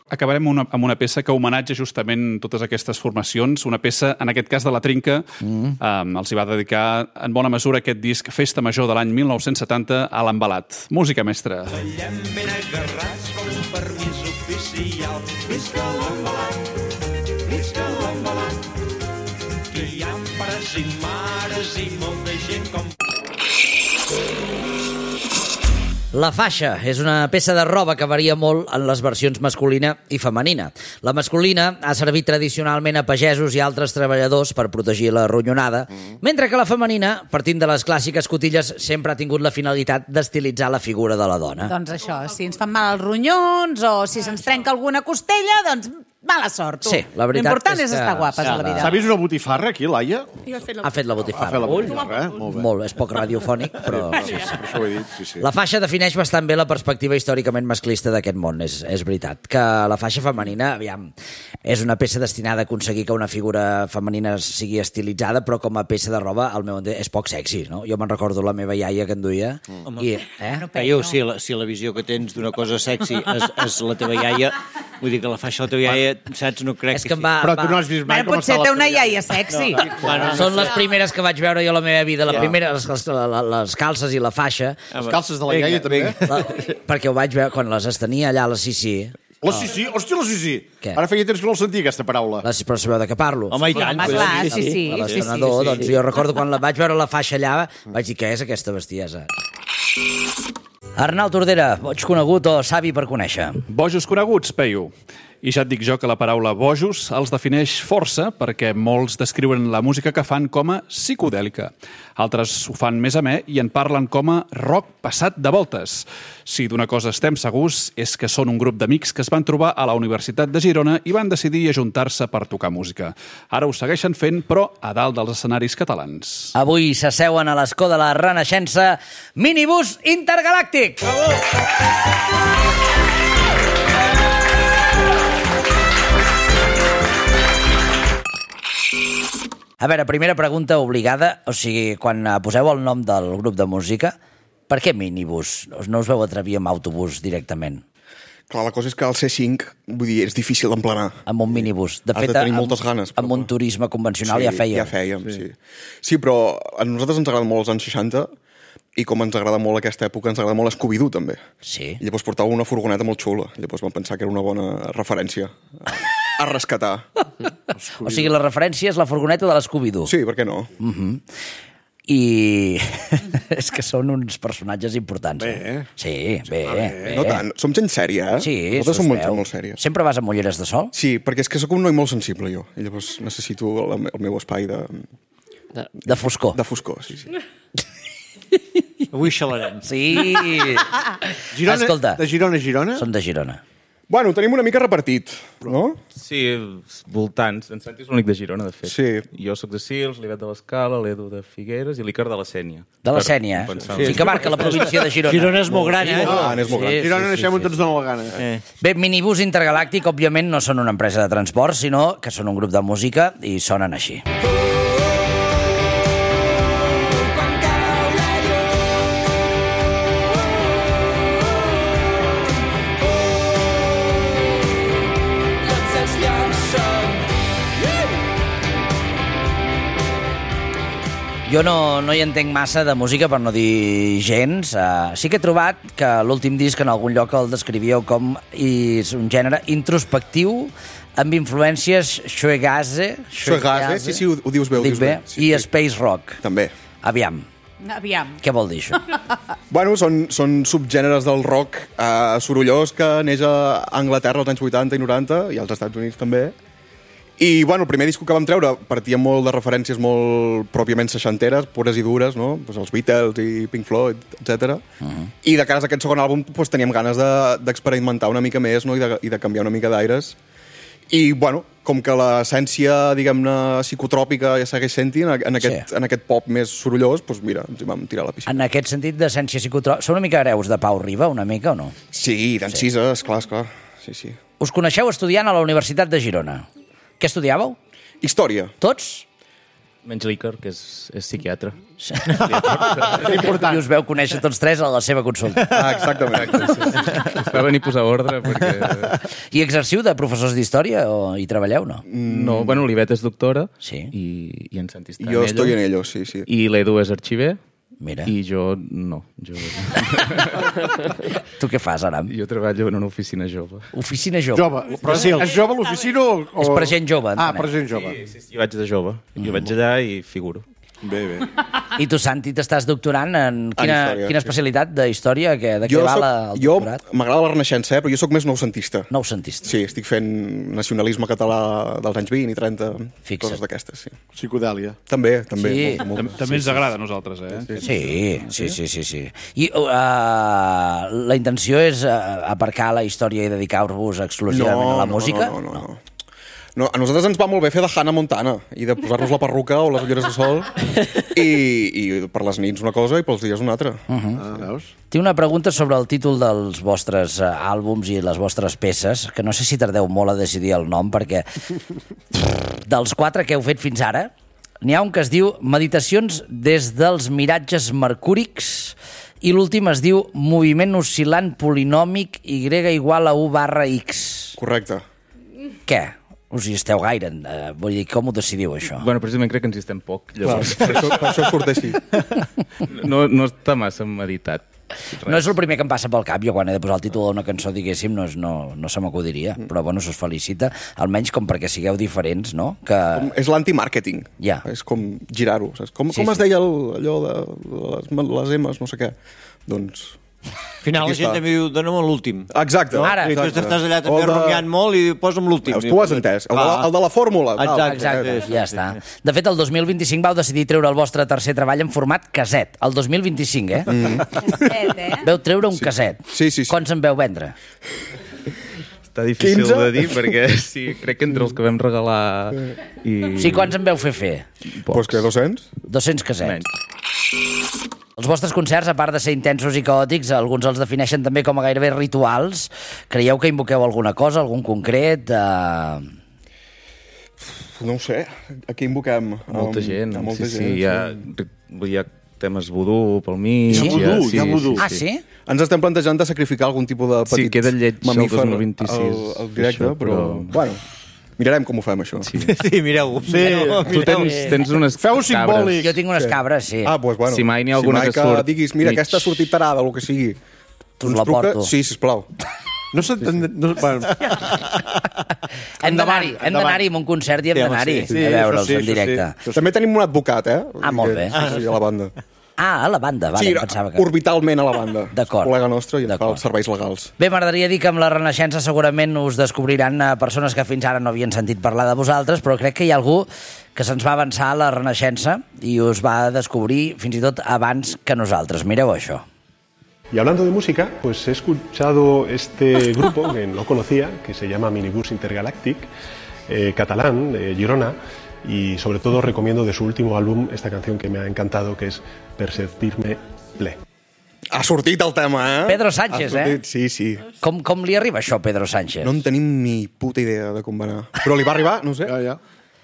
Speaker 7: Acabarem amb una peça que homenatja justament totes aquestes formacions, una peça, en aquest cas de la Trinca, els hi va dedicar en bona mesura aquest disc Festa Major de l'any 1970 a l'Embalat. Música mestra.
Speaker 12: Ballem ben agarrats com un permís oficial. Visca l'Embalat, que hi ha pares i mares i molta gent com...
Speaker 1: La faixa és una peça de roba que varia molt en les versions masculina i femenina. La masculina ha servit tradicionalment a pagesos i altres treballadors per protegir la ronyonada, mentre que la femenina, partint de les clàssiques cotilles, sempre ha tingut la finalitat d'estilitzar la figura de la dona.
Speaker 6: Doncs això, si ens fan mal els ronyons o si se'ns trenca alguna costella, doncs mala sort, tu.
Speaker 1: Sí, la veritat
Speaker 6: L'important és
Speaker 1: és que-
Speaker 6: estar guapes a la vida.
Speaker 2: S'ha vist una botifarra aquí, Laia?
Speaker 1: Ha fet la botifarra.
Speaker 2: Ha fet la botifarra, Molt bé.
Speaker 1: Molt, és poc radiofònic, però...
Speaker 2: Sí, per això ho he dit, sí.
Speaker 1: La faixa defineix bastant bé la perspectiva històricament masclista d'aquest món, és veritat. Que la faixa femenina, aviam, és una peça destinada a aconseguir que una figura femenina sigui estilitzada, però com a peça de roba, al meu entendre, és poc sexy, no? Jo me'n recordo la meva iaia que en duia.
Speaker 4: Peyu, si la visió que tens d'una cosa sexy és la teva iaia, vull dir que la faixa de la teva iaia, saps, no crec que sí.
Speaker 2: Però tu no has vist mai com
Speaker 6: Potser
Speaker 2: està
Speaker 6: té
Speaker 2: la
Speaker 6: una iaia sexy.
Speaker 1: Són les primeres que vaig veure jo a la meva vida. La primera, les calces i la faixa.
Speaker 2: Les calces de la iaia, també.
Speaker 1: Perquè ho vaig veure quan les estenia allà a la Sissi.
Speaker 2: La Sissi? Hòstia, la Sissi!
Speaker 1: Què?
Speaker 2: Ara feia temps que no el sentia, aquesta paraula.
Speaker 1: Però sabeu de què parlo?
Speaker 4: Home, i tant.
Speaker 6: Home, clar, sí.
Speaker 1: L'estrenador, doncs jo recordo quan la vaig veure la faixa allà, vaig dir, què és aquesta bestiesa? Arnau Tordera, boig conegut o savi per conèixer?
Speaker 7: Bojos coneguts, Peyu. I ja et dic jo que la paraula bojos els defineix força perquè molts descriuen la música que fan com a psicodèlica. Altres ho fan més amè i en parlen com a rock passat de voltes. Si d'una cosa estem segurs és que són un grup d'amics que es van trobar a la Universitat de Girona i van decidir ajuntar-se per tocar música. Ara ho segueixen fent, però a dalt dels escenaris catalans.
Speaker 1: Avui s'asseuen a l'escó de la Renaixença Minibús Intergalàctic! A veure, primera pregunta obligada, o sigui, quan poseu el nom del grup de música, per què minibús? No us veu atrevir amb autobús directament?
Speaker 13: Clar, la cosa és que el C5, vull dir, és difícil d'emplenar.
Speaker 1: Amb un minibús. De
Speaker 13: Has
Speaker 1: fet,
Speaker 13: de tenir moltes ganes.
Speaker 1: Amb un turisme convencional ja fèiem.
Speaker 13: Ja fèiem, sí. Sí, però a nosaltres ens agraden molt els anys 60 i com ens agrada molt aquesta època, ens agrada molt Scooby-Doo, també.
Speaker 1: Sí.
Speaker 13: I llavors portava una furgoneta molt xula. Llavors vam pensar que era una bona referència a rescatar.
Speaker 1: O sigui, la referència és la furgoneta de l'Scooby-Doo.
Speaker 13: Sí, per què no?
Speaker 1: I és que són uns personatges importants.
Speaker 2: Bé.
Speaker 1: Sí, bé.
Speaker 13: No tant, som gent sèria, eh?
Speaker 1: Sí,
Speaker 13: nosaltres som molt sèries.
Speaker 1: Sempre vas amb ulleres de sol?
Speaker 13: Sí, perquè és que sóc un noi molt sensible, jo. I llavors necessito el meu espai de...
Speaker 1: De foscor.
Speaker 13: De foscor, sí.
Speaker 4: Avui xalarem.
Speaker 1: Sí.
Speaker 2: Girona,
Speaker 1: Escolta.
Speaker 2: de Girona a Girona?
Speaker 1: Som de Girona.
Speaker 13: Bueno, tenim una mica repartit, no?
Speaker 14: Sí, voltants. En Santi és l'únic de Girona, de fet.
Speaker 13: Sí.
Speaker 14: Jo sóc de Sils, l'Ivet de l'Escala, l'Edu de Figueres i l'Icar de la Sènia.
Speaker 1: De la Sènia, sí, que marca la província de Girona.
Speaker 4: Girona és molt gran, eh?
Speaker 13: És molt gran.
Speaker 2: Girona naixem on ens dona la gana.
Speaker 1: Bé, Minibús Intergalàctic, òbviament, no són una empresa de transport, sinó que són un grup de música i sonen així. Jo no hi entenc massa de música, per no dir gens. Sí que he trobat que l'últim disc en algun lloc el descrivíeu com és un gènere introspectiu amb influències shoegaze,
Speaker 13: sí, ho dius bé.
Speaker 1: dic bé, i space rock.
Speaker 13: També.
Speaker 1: Aviam, què vol dir això?
Speaker 13: Bueno, són subgèneres del rock sorollós que neix a Anglaterra als anys 80 i 90 i als Estats Units també. I, bueno, el primer disc que vam treure partia molt de referències molt pròpiament seixanteres, pures i dures, no? Pues els Beatles i Pink Floyd, etc. I de cara a aquest segon àlbum pues, teníem ganes d'experimentar una mica més, no? I de canviar una mica d'aires. I, bueno, com que l'essència, diguem-ne, psicotròpica ja segueix sent-hi en aquest pop més sorollós, doncs mira, ens hi vam tirar a la piscina.
Speaker 1: En aquest sentit d'essència psicotròpica, són una mica hereus de Pau Riba, una mica, o no?
Speaker 13: Sí, d'Encisa, esclar. Sí.
Speaker 1: Us coneixeu estudiant a la Universitat de Girona. Què estudiàveu?
Speaker 13: Història.
Speaker 1: Tots?
Speaker 14: Menys l'Icar, que és psiquiatre.
Speaker 1: I us veu conèixer tots tres a la seva consulta.
Speaker 13: Exactament.
Speaker 14: Es va venir a posar ordre perquè...
Speaker 1: I exerciu de professors d'història o hi treballeu, no?
Speaker 14: No, bueno, l'Ivet és doctora
Speaker 1: sí.
Speaker 14: i en Santi està
Speaker 13: jo estoy en ello, sí.
Speaker 14: I l'Edu és arxiver.
Speaker 1: Mira.
Speaker 14: I jo no.
Speaker 1: Tu què fas, Aram?
Speaker 14: Jo treballo en una oficina jove.
Speaker 1: Oficina jove?
Speaker 2: Però és jove l'oficina o...?
Speaker 1: És per gent jove.
Speaker 2: Per gent jove.
Speaker 14: Sí, jo vaig de jove. Jo vaig allà i figuro.
Speaker 2: Bé.
Speaker 1: I tu, Santi, t'estàs doctorant en quina especialitat de història? De què va el doctorat?
Speaker 13: M'agrada la Renaixença, però jo sóc més noucentista.
Speaker 1: Noucentista.
Speaker 13: Sí, estic fent nacionalisme català dels anys 20 i 30, coses d'aquestes, sí.
Speaker 2: Psicodèlia.
Speaker 13: També.
Speaker 7: També ens agrada a nosaltres, eh?
Speaker 1: Sí. I la intenció és aparcar la història i dedicar-vos exclusivament a la música?
Speaker 13: No. No, a nosaltres ens va molt bé fer de Hannah Montana i de posar-nos la perruca o les ulleres de sol i per les nits una cosa i pels dies una altra.
Speaker 2: Veus?
Speaker 1: Tinc una pregunta sobre el títol dels vostres àlbums i les vostres peces, que no sé si tardeu molt a decidir el nom, perquè dels 4 que heu fet fins ara, n'hi ha un que es diu Meditacions des dels miratges mercúrics i l'últim es diu Moviment oscil·lant polinòmic Y igual a U/X.
Speaker 13: Correcte.
Speaker 1: Què? Us hi esteu gaire? Vull dir, com ho decidiu, això?
Speaker 14: Bueno, precisament crec que ens hi estem poc. Llavors...
Speaker 13: Clar, per això surt així.
Speaker 14: No està massa meditat.
Speaker 1: No és el primer que em passa pel cap. Jo quan he de posar el títol d'una cançó, diguéssim, no se m'acudiria. Però, bueno, se us felicita, almenys com perquè sigueu diferents, no? Que...
Speaker 13: És l'anti-màrqueting.
Speaker 1: Ja.
Speaker 13: És com girar-ho. Com es deia allò de les M's, no sé què? Doncs...
Speaker 4: Al final la gent també diu, dona'm l'últim.
Speaker 13: Exacte.
Speaker 4: No?
Speaker 1: Ara.
Speaker 4: I tu estàs allà també rumiant molt i posa'm l'últim.
Speaker 13: Tu ho has entès. El de la fórmula.
Speaker 1: Exacte. Ja està. De fet, el 2025 vau decidir treure el vostre tercer treball en format caset. El 2025, Veu treure un caset.
Speaker 13: Sí.
Speaker 1: Quants en veu vendre?
Speaker 14: Està difícil 15? De dir, perquè sí, crec que entre els que vam regalar...
Speaker 1: Sí, quants en veu fer?
Speaker 13: Doncs que 200?
Speaker 1: 200 casets. Els vostres concerts, a part de ser intensos i caòtics, alguns els defineixen també com a gairebé rituals. Creieu que invoqueu alguna cosa, algun concret?
Speaker 13: No ho sé. Aquí invoquem...
Speaker 14: Molta gent.
Speaker 13: Molta gent.
Speaker 14: Hi ha temes vudú pel mig.
Speaker 1: Sí?
Speaker 2: Hi ha vudú.
Speaker 1: Ah, sí?
Speaker 13: Ens estem plantejant de sacrificar algun tipus de petit
Speaker 14: queda lleig
Speaker 13: mamífer
Speaker 14: el 2026.
Speaker 13: al directe,
Speaker 14: això,
Speaker 13: però... Bueno, mirarem com ho fem, això.
Speaker 4: Sí, mireu.
Speaker 2: Sí.
Speaker 14: Tu tens unes
Speaker 2: Feu
Speaker 14: cabres.
Speaker 2: simbòlic.
Speaker 1: Jo tinc unes cabres, sí.
Speaker 13: Ah, doncs bueno.
Speaker 14: Si mai n'hi ha alguna que surt
Speaker 13: diguis, mira, aquesta ha sortit tarada, o el que sigui.
Speaker 1: Tu la porto.
Speaker 13: Sí, sisplau.
Speaker 2: No s'entén... Bueno.
Speaker 1: Hem d'anar-hi a un concert i hem d'anar-hi a veure'ls en directe.
Speaker 13: També tenim un advocat,
Speaker 1: Ah, molt bé.
Speaker 13: Sí, a la banda.
Speaker 1: Ah, a la banda, vale,
Speaker 13: sí,
Speaker 1: pensava que...
Speaker 13: orbitalment a la banda.
Speaker 1: D'acord.
Speaker 13: Col·lega nostre i ens fa els serveis legals.
Speaker 1: Bé, m'agradaria dir que amb la Renaixença segurament us descobriran persones que fins ara no havien sentit parlar de vosaltres, però crec que hi ha algú que se'ns va avançar a la Renaixença i us va descobrir fins i tot abans que nosaltres. Mireu això.
Speaker 15: Y hablando de música, pues he escuchado este grupo que no conocía, que se llama Minibus Intergalactic, catalán, de Girona, y sobre todo recomiendo de su último álbum esta canción que me ha encantado, que es Per sentir-me ple.
Speaker 13: Ha sortit el tema,
Speaker 1: Pedro Sánchez,
Speaker 13: Sí.
Speaker 1: Com li arriba això a Pedro Sánchez?
Speaker 13: No en tenim ni puta idea de com va anar. Però li va arribar, no sé.
Speaker 2: Ja.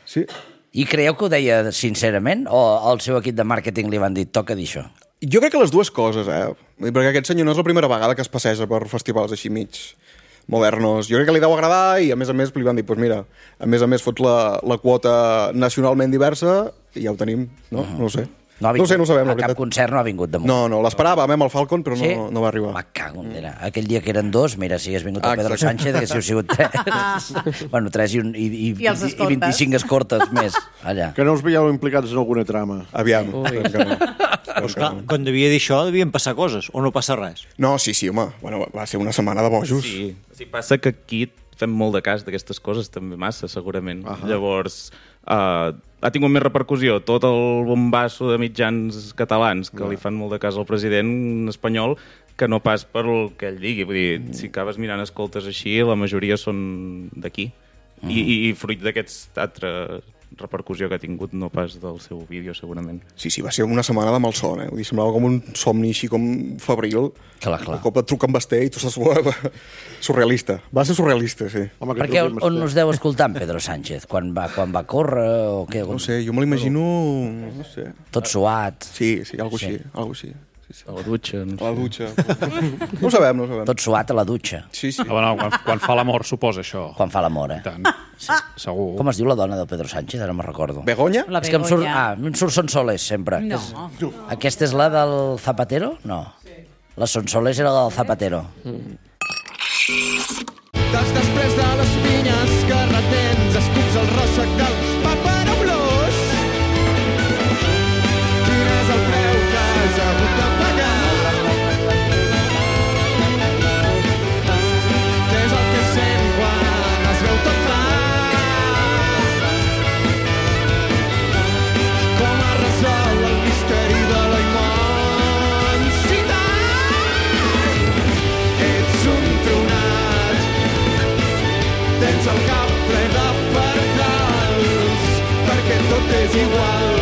Speaker 13: Sí.
Speaker 1: I creieu que ho deia sincerament o al seu equip de màrqueting li van dir toca dir això?
Speaker 13: Jo crec que les dues coses, perquè aquest senyor no és la primera vegada que es passeja per festivals així mig modernos. Jo crec que li deu agradar i a més li van dir, doncs mira, a més fots la quota nacionalment diversa i ja ho tenim, no? No ho sé.
Speaker 1: No ho sabem,
Speaker 13: la veritat.
Speaker 1: A cap concert no ha vingut de moment.
Speaker 13: No, l'esperàvem amb el Falcon, però
Speaker 1: sí?
Speaker 13: no va arribar.
Speaker 1: Va, cago, mira. Aquell dia que eren 2, mira, si hagués vingut el Pedro Sánchez, haguéssiu sigut 3. Bueno, 3 i 25 escortes més, allà.
Speaker 2: Que no us veieu implicats en alguna trama.
Speaker 13: Aviam.
Speaker 4: Pues clar, quan devia dir això, devien passar coses, o no passa res?
Speaker 13: No, sí, home. Bueno, va ser una setmana de bojos.
Speaker 14: Sí, passa que aquí fem molt de cas d'aquestes coses, també massa, segurament. Llavors, ha tingut més repercussió tot el bombasso de mitjans catalans que li fan molt de cas al president espanyol que no pas per el que ell digui. Vull dir, si acabes mirant escoltes així, la majoria són d'aquí. I fruit d'aquesta altra repercussió que ha tingut, no pas del seu vídeo, segurament.
Speaker 13: Sí, va ser una setmana de malson, Vull dir, semblava com un somni així com febril.
Speaker 1: Clar.
Speaker 13: Un cop et truquen Basté i tu estàs surrealista. Va ser surrealista, sí.
Speaker 1: Home, perquè on us deu escoltar en Pedro Sánchez? Quan va córrer o què?
Speaker 13: No sé, jo me l'imagino... No sé.
Speaker 1: Tot suat.
Speaker 13: Sí, algo així.
Speaker 14: A la dutxa.
Speaker 13: A la dutxa. No ho sabem.
Speaker 1: Tot suat a la dutxa.
Speaker 13: Sí.
Speaker 7: Bueno, quan fa l'amor suposa això.
Speaker 1: Quan fa l'amor,
Speaker 7: Tant. Sí, segur.
Speaker 1: Com es diu la dona del Pedro Sánchez? Ara me'n recordo.
Speaker 13: Begoña?
Speaker 6: La
Speaker 1: És que
Speaker 6: Begoña.
Speaker 1: em surt Sonsoles, sempre.
Speaker 6: No.
Speaker 1: Aquesta és la del Zapatero? No. La Sonsoles era la del Zapatero.
Speaker 12: Després de les pinyes que retens, escups el ròssec del paperoblós. Quin és el preu que has hagut de pagar? Què és el que sent quan es veu tot clar? Com es resol el misteri de la immensitat? Ets un tronat, tens el cap ple de per retals, perquè tot és igual.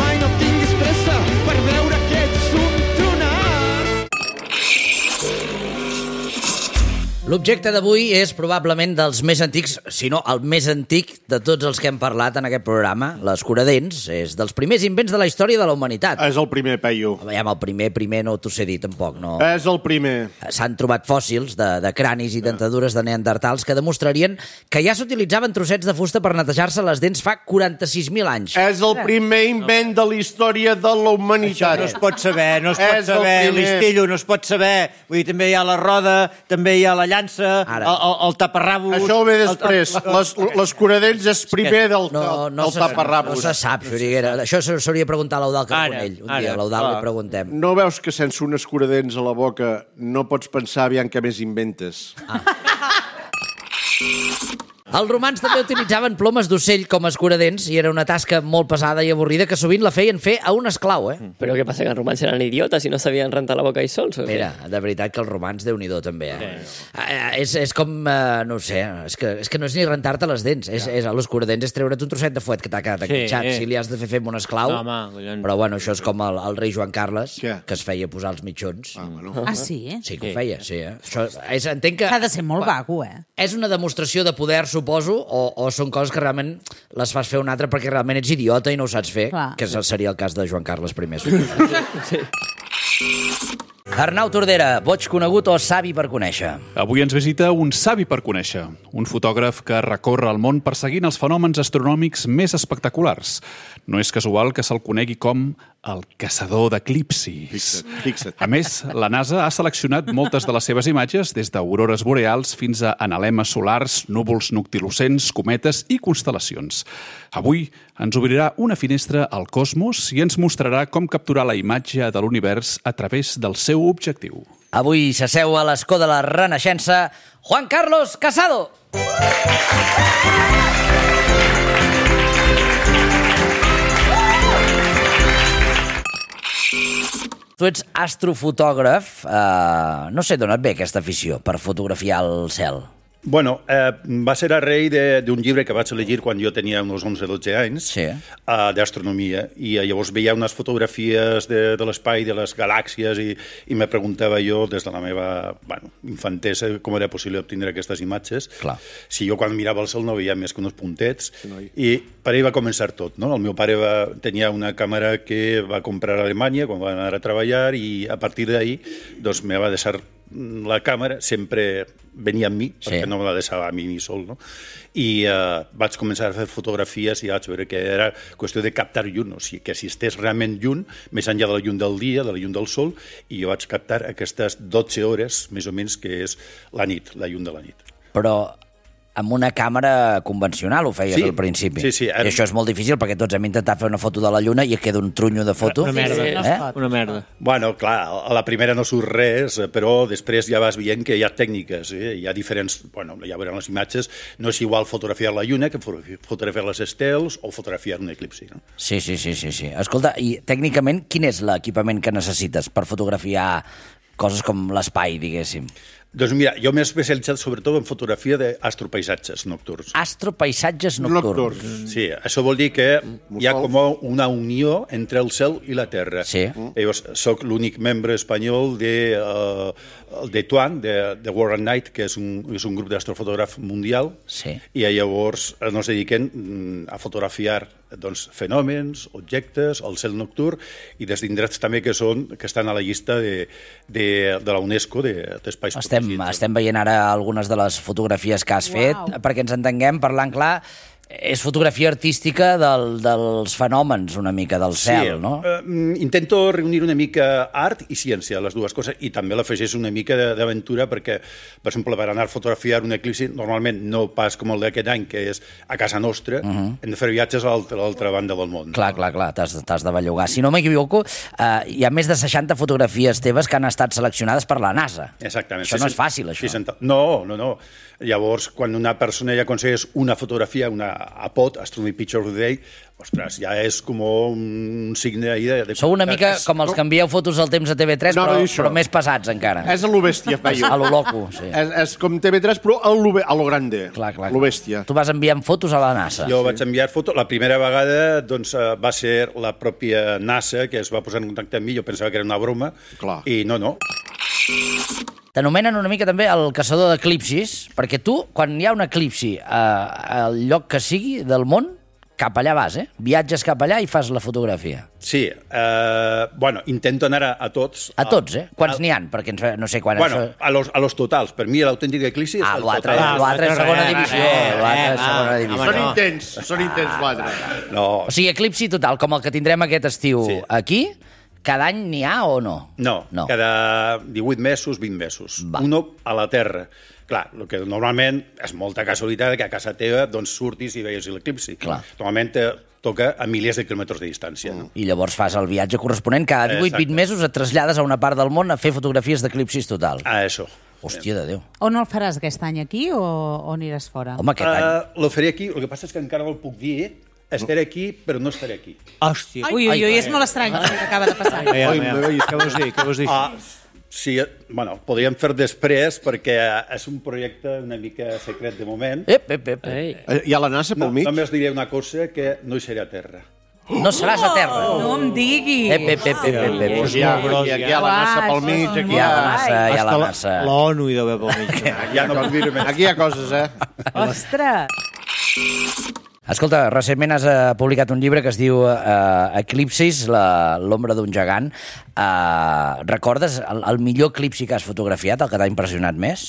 Speaker 12: Mai no tinguis pressa per veure que ets un tronat.
Speaker 1: L'objecte d'avui és probablement dels més antics, si no el més antic de tots els que hem parlat en aquest programa. L'escuradents és dels primers invents de la història de la humanitat.
Speaker 2: És el primer, Peyu.
Speaker 1: Veiem, el primer no t'ho sé dir tampoc. No.
Speaker 2: És el primer.
Speaker 1: S'han trobat fòssils de cranis i dentadures de neandertals que demostrarien que ja s'utilitzaven trossets de fusta per netejar-se les dents fa 46.000 anys.
Speaker 2: És el primer invent de la història de la humanitat.
Speaker 4: Això no es pot saber, Listillo, no es pot saber. Vull dir, també hi ha la roda, també hi ha la llança, el taparrabos...
Speaker 2: Això ve després. L'escuradents és primer del taparrabos.
Speaker 1: No se sap, Xuriguera. Això s'hauria de preguntar a l'Eudald Carbonell. Un dia a l'Eudald li preguntem.
Speaker 2: No veus que sense un escuradents a la boca no pots pensar aviam què més inventes?
Speaker 1: Els romans també utilitzaven plomes d'ocell com a escuradents i era una tasca molt pesada i avorrida que sovint la feien fer a un esclau,
Speaker 5: Però què passa, que els romans eren idiotes i no sabien rentar la boca ells sols?
Speaker 1: Mira, de veritat que els romans, Déu-n'hi-do, també. És com, no sé, és que no és ni rentar-te les dents. L'escuradents és treure't un trosset de fuet que t'ha quedat enquitxat. Si li has de fer amb un esclau... Però bueno, això és com el rei Joan Carles, que es feia posar els mitjons.
Speaker 6: Sí?
Speaker 1: Sí que ho feia, sí. Entenc que...
Speaker 6: S'ha de ser molt vago,
Speaker 1: És una demostració de poder, suposo, o són coses que realment les fas fer un altre perquè realment ets idiota i no ho saps fer, que seria el cas de Joan Carles I. Sí. Arnau Tordera, boig conegut o savi per conèixer?
Speaker 7: Avui ens visita un savi per conèixer, un fotògraf que recorre el món perseguint els fenòmens astronòmics més espectaculars. No és casual que se'l conegui com el caçador d'eclipsis.
Speaker 2: Fixa't.
Speaker 7: A més, la NASA ha seleccionat moltes de les seves imatges, des d'aurores boreals fins a analemes solars, núvols noctilocents, cometes i constel·lacions. Avui ens obrirà una finestra al cosmos i ens mostrarà com capturar la imatge de l'univers a través del seu objectiu.
Speaker 1: Avui s'asseu a l'escó de la Renaixença Juan Carlos Casado. Tu ets astrofotògraf. No sé d'on et ve aquesta afició per fotografiar el cel.
Speaker 9: Bueno, va ser a raïs d'un llibre que vaig llegir quan jo tenia uns 11-12 anys, d'astronomia, i llavors veia unes fotografies de l'espai, de les galàxies, i me preguntava jo, des de la meva infantesa, com era possible obtenir aquestes imatges.
Speaker 1: Clar.
Speaker 9: Si jo quan mirava el cel no veia més que uns puntets, i per ahí va començar tot, no? El meu pare tenia una càmera que va comprar a Alemanya quan va anar a treballar, i a partir d'ahí doncs, me va deixar la càmera, sempre venia amb mi, perquè no me la deixava a mi sol, no? I vaig començar a fer fotografies i vaig veure que era qüestió de captar llum, o sigui, que si estés realment llum, més enllà de la llum del dia, de la llum del sol, i jo vaig captar aquestes 12 hores, més o menys, que és la nit, la llum de la nit.
Speaker 1: Però amb una càmera convencional ho feies al principi.
Speaker 9: Sí.
Speaker 1: I això és molt difícil perquè tots hem intentat fer una foto de la Lluna i et queda un trunyo de foto.
Speaker 4: Una merda.
Speaker 9: Bueno, clar, a la primera no surt res, però després ja vas veient que hi ha tècniques, hi ha diferents... Bueno, ja veurem les imatges, no és igual fotografiar la Lluna que fotografiar les estels o fotografiar un eclipsi, no?
Speaker 1: Sí. Escolta, i tècnicament quin és l'equipament que necessites per fotografiar coses com l'espai, diguéssim?
Speaker 9: Doncs mira, jo m'he especialitzat sobretot en fotografia d'astropaisatges nocturns.
Speaker 1: Astropaisatges nocturns.
Speaker 9: Sí, això vol dir que hi ha com una unió entre el cel i la Terra.
Speaker 1: Sí.
Speaker 9: Llavors, soc l'únic membre espanyol de TWAN, de World at Night, que és un grup d'astrofotògraf mundial, i llavors ens dediquem a fotografiar fenòmens, objectes, el cel nocturn, i des d'indrets també que estan a la llista de la UNESCO d'espais protegits.
Speaker 1: Estem veient ara algunes de les fotografies que has fet, perquè ens entenguem, parlant clar, és fotografia artística dels fenòmens una mica del cel, no?
Speaker 9: Intento reunir una mica art i ciència, les dues coses, i també l'afegeix una mica d'aventura perquè, per exemple, per anar a fotografiar un eclipsi, normalment no pas com el d'aquest any, que és a casa nostra, hem de fer viatges a l'altra banda del món.
Speaker 1: Clar, t'has de bellugar. Si no m'equivoco, hi ha més de 60 fotografies teves que han estat seleccionades per la NASA.
Speaker 9: Exactament.
Speaker 1: Això no és fàcil, això.
Speaker 9: No. Llavors, quan una persona ja aconsegueix una fotografia, una
Speaker 16: a Pot, Astronomy Picture of the Day, ostres, ja és com un signe ahí de...
Speaker 1: Sou una mica com els que envieu fotos al temps a TV3, però més pesats encara.
Speaker 2: És a lo bèstia, Peyu.
Speaker 1: A lo loco, sí.
Speaker 2: És com TV3, però a lo grande.
Speaker 1: Clar.
Speaker 2: Lo bèstia.
Speaker 1: Tu vas enviant fotos a la NASA.
Speaker 16: Jo vaig enviar fotos. La primera vegada doncs, va ser la pròpia NASA que es va posar en contacte amb mi. Jo pensava que era una broma.
Speaker 2: Clar.
Speaker 16: I no.
Speaker 1: T'anomenen una mica també el caçador d'eclipsis, perquè tu, quan hi ha un eclipsi al lloc que sigui del món, cap allà vas, Viatges cap allà i fas la fotografia.
Speaker 16: Sí, intento anar a tots.
Speaker 1: A tots, Quants n'hi han? Perquè no sé quan...
Speaker 16: Bueno, a los totals. Per mi l'autèntic eclipsi és el total.
Speaker 1: L'altre és segona divisió.
Speaker 2: Són intents, l'altre.
Speaker 16: No.
Speaker 1: O sigui, eclipsi total, com el que tindrem aquest estiu aquí, cada any n'hi ha o no?
Speaker 16: No, cada 18 mesos, 20 mesos. Uno a la Terra. Clar, el que normalment és molta casualitat que a casa teva doncs, surtis i veies l'eclipsi. Normalment toca a milers de quilòmetres de distància. No?
Speaker 1: I llavors fas el viatge corresponent. Cada 18-20 mesos et trasllades a una part del món a fer fotografies d'eclipsis total.
Speaker 16: Això.
Speaker 1: Hòstia de Déu.
Speaker 6: On el faràs aquest any, aquí o aniràs fora?
Speaker 1: Home, aquest any.
Speaker 16: Lo faré aquí, el que passa és que encara no el puc dir. Estaré aquí, però no estaré aquí.
Speaker 4: Hòstia.
Speaker 6: Ui, és molt estrany el que acaba de passar.
Speaker 4: Què vols dir?
Speaker 16: Sí, podríem fer després, perquè és un projecte una mica secret de moment.
Speaker 2: Hi ha la NASA pel mig?
Speaker 16: Només diré una cosa, que no hi seré a terra.
Speaker 1: No seràs a terra?
Speaker 6: No em diguis.
Speaker 2: Aquí hi ha la NASA pel mig.
Speaker 1: Aquí hi ha la NASA.
Speaker 4: L'ONU hi deu haver pel mig.
Speaker 16: Ja no puc dir més.
Speaker 2: Aquí hi ha coses,
Speaker 6: Ostres!
Speaker 1: Escolta, recentment has publicat un llibre que es diu Eclipsis, l'ombra d'un gegant. Recordes el millor eclipsi que has fotografiat, el que t'ha impressionat més?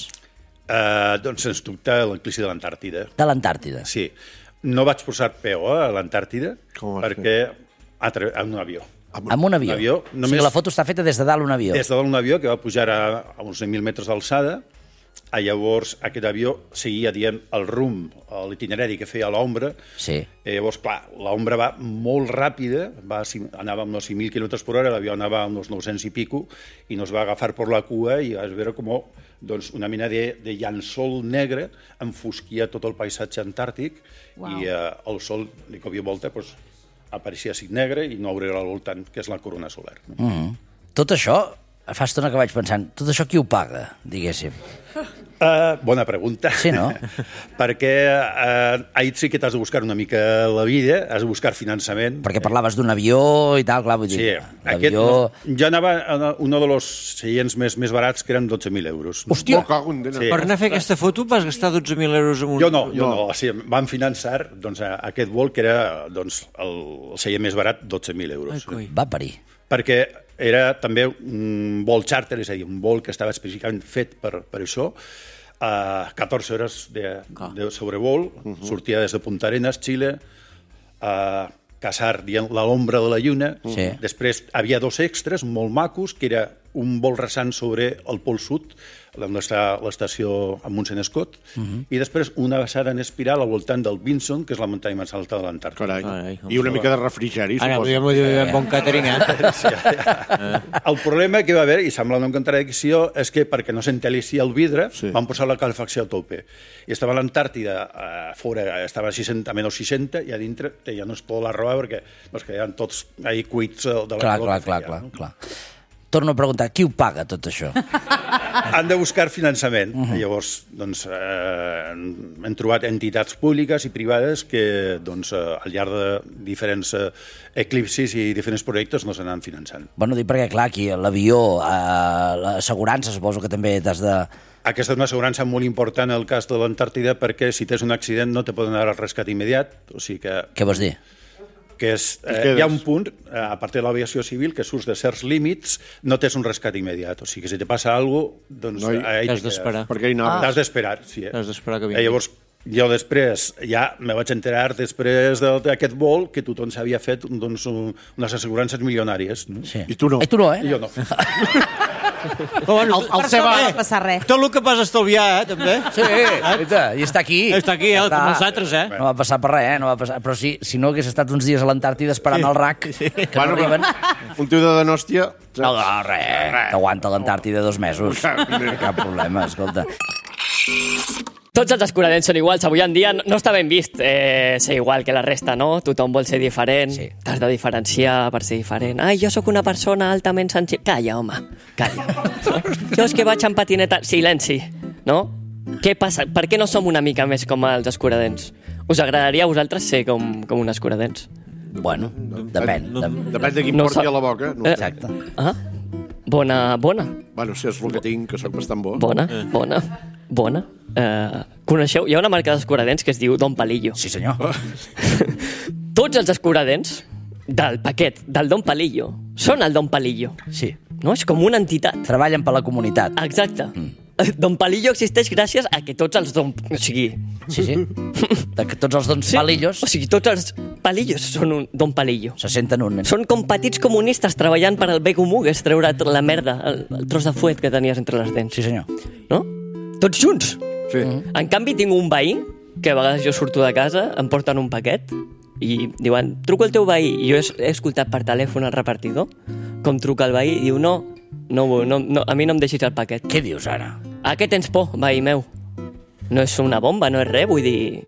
Speaker 16: Doncs sens dubte l'eclipsi de l'Antàrtida.
Speaker 1: De l'Antàrtida?
Speaker 16: Sí. No vaig posar peu a l'Antàrtida perquè en un avió.
Speaker 1: Amb un avió? O sigui, la foto està feta des de dalt un avió?
Speaker 16: Des de dalt un avió que va pujar a uns 1.000 metres d'alçada. Llavors, aquest avió seguia dient el rumb, l'itinerari que feia l'ombra.
Speaker 1: Sí.
Speaker 16: Llavors, clar, l'ombra va molt ràpida, anava amb uns 5.000 km per hora, l'avió anava amb uns 900 i pico, i nos va agafar per la cua i vas veure com una mena de llençol negre enfosquia tot el paisatge antàrtic. Wow. I el sol, de cop i volta, apareixia així negre i no obrirà al voltant, que és la corona solar.
Speaker 1: Tot això, fa estona que vaig pensant, tot això qui ho paga, diguéssim?
Speaker 16: Bona pregunta.
Speaker 1: Sí, no?
Speaker 16: Perquè ahir sí que t'has de buscar una mica la vida, has de buscar finançament.
Speaker 1: Perquè parlaves d'un avió i tal, clar, vull dir...
Speaker 16: Sí, jo anava a un dels seients més barats, que eren 12.000 euros.
Speaker 1: Hòstia!
Speaker 4: Per anar a fer aquesta foto vas gastar 12.000 euros en un...
Speaker 16: Jo no. Vam finançar aquest vol, que era el seient més barat, 12.000 euros.
Speaker 1: Va parir.
Speaker 16: Perquè era també un vol charter, és a dir, un vol que estava específicament fet per això, 14 hores de sobrevol, sortia des de Punta Arenas, Xile, Casar, dient l'ombra de la lluna. Després havia 2 extras molt macos, que era un vol rasant sobre el Pol Sud, on està l'estació Amundsen Scott, i després una baixada en espiral al voltant del Vinson, que és la muntanya més alta de l'Antàrtida.
Speaker 2: I una mica de refrigeri, suposo.
Speaker 4: Ara, podríem bon catering,
Speaker 16: El problema que va haver, i sembla una contradicció, és que perquè no s'entelissi el vidre, van posar la calefacció a tope. I estava a l'Antàrtida, fora estava a menys 60, i a dintre ja no es pot la roba perquè es quedaven tots ahí cuits de la calor.
Speaker 1: Clar. Torno a preguntar, qui ho paga tot això?
Speaker 16: Han de buscar finançament. Llavors, hem trobat entitats públiques i privades que, al llarg de diferents eclipsis i diferents projectes no s'anan finançant.
Speaker 1: Bueno, dic perquè, clar, aquí l'avió, l'assegurança, suposo que també t'has de...
Speaker 16: Aquesta és una assegurança molt important en el cas de l'Antàrtida, perquè si tens un accident no te poden dar el rescat immediat. O sigui que...
Speaker 1: Què vols dir?
Speaker 16: Que hi ha un punt, a part de l'aviació civil, que surts de certs límits, no tens un rescat immediat. O sigui que si te passa alguna cosa, doncs...
Speaker 4: T'has d'esperar.
Speaker 16: T'has d'esperar, sí.
Speaker 4: T'has d'esperar que vingui.
Speaker 16: Llavors, jo després, ja me vaig enterar després d'aquest vol que tothom s'havia fet unes assegurances milionàries.
Speaker 2: I tu no.
Speaker 1: I tu no,
Speaker 16: I jo no.
Speaker 4: Tot el que vas estalviar, també.
Speaker 1: Sí, i està aquí.
Speaker 4: Està aquí, com els altres,
Speaker 1: No va passar per res, no va passar. Però si no hagués estat uns dies a l'Antàrtida esperant el RAC, que no arriben...
Speaker 2: Un tio de Donòstia...
Speaker 1: No, res, t'aguanta l'Antàrtida 2 mesos. Cap problema, escolta.
Speaker 5: Tots els escuradents són iguals. Avui en dia no està ben vist ser igual que la resta, no? Tothom vol ser diferent, t'has de diferenciar per ser diferent. Ai, jo sóc una persona altament sensible. Calla, home, calla. No? Jo és que vaig en patineta... Silenci, no? Què passa? Per què no som una mica més com els escuradents? Us agradaria a vosaltres ser com un escuradents?
Speaker 1: Bueno, depèn.
Speaker 2: Depèn de quin porti a la boca.
Speaker 1: Exacte.
Speaker 5: Bona.
Speaker 2: Bueno, si és el que tinc, que sóc bastant bo.
Speaker 5: Bona. Coneixeu? Hi ha una marca d'escuradents que es diu Don Palillo.
Speaker 1: Sí, senyor.
Speaker 5: Tots els escuradents del paquet del Don Palillo són el Don Palillo.
Speaker 1: Sí.
Speaker 5: No? És com una entitat.
Speaker 1: Treballen per la comunitat.
Speaker 5: Exacte. Don Palillo existeix gràcies a que tots els Don... O sigui...
Speaker 1: Sí. Que tots els Dons Palillos...
Speaker 5: O sigui, tots els Palillos són un Don Palillo.
Speaker 1: Se senten un...
Speaker 5: Són com petits comunistes treballant per al bé comú, que és treure la merda, el tros de fuet que tenies entre les dents.
Speaker 1: Sí, senyor.
Speaker 5: No? Tots junts.
Speaker 2: Sí.
Speaker 5: En canvi, tinc un veí, que a vegades jo surto de casa, em porten un paquet, i diuen, truco el teu veí. I jo he escoltat per telèfon el repartidor, com truca el veí, i diu, no, a mi no em deixis el paquet.
Speaker 1: Què dius ara?
Speaker 5: A què tens por, veí meu? No és una bomba, no és res, vull dir...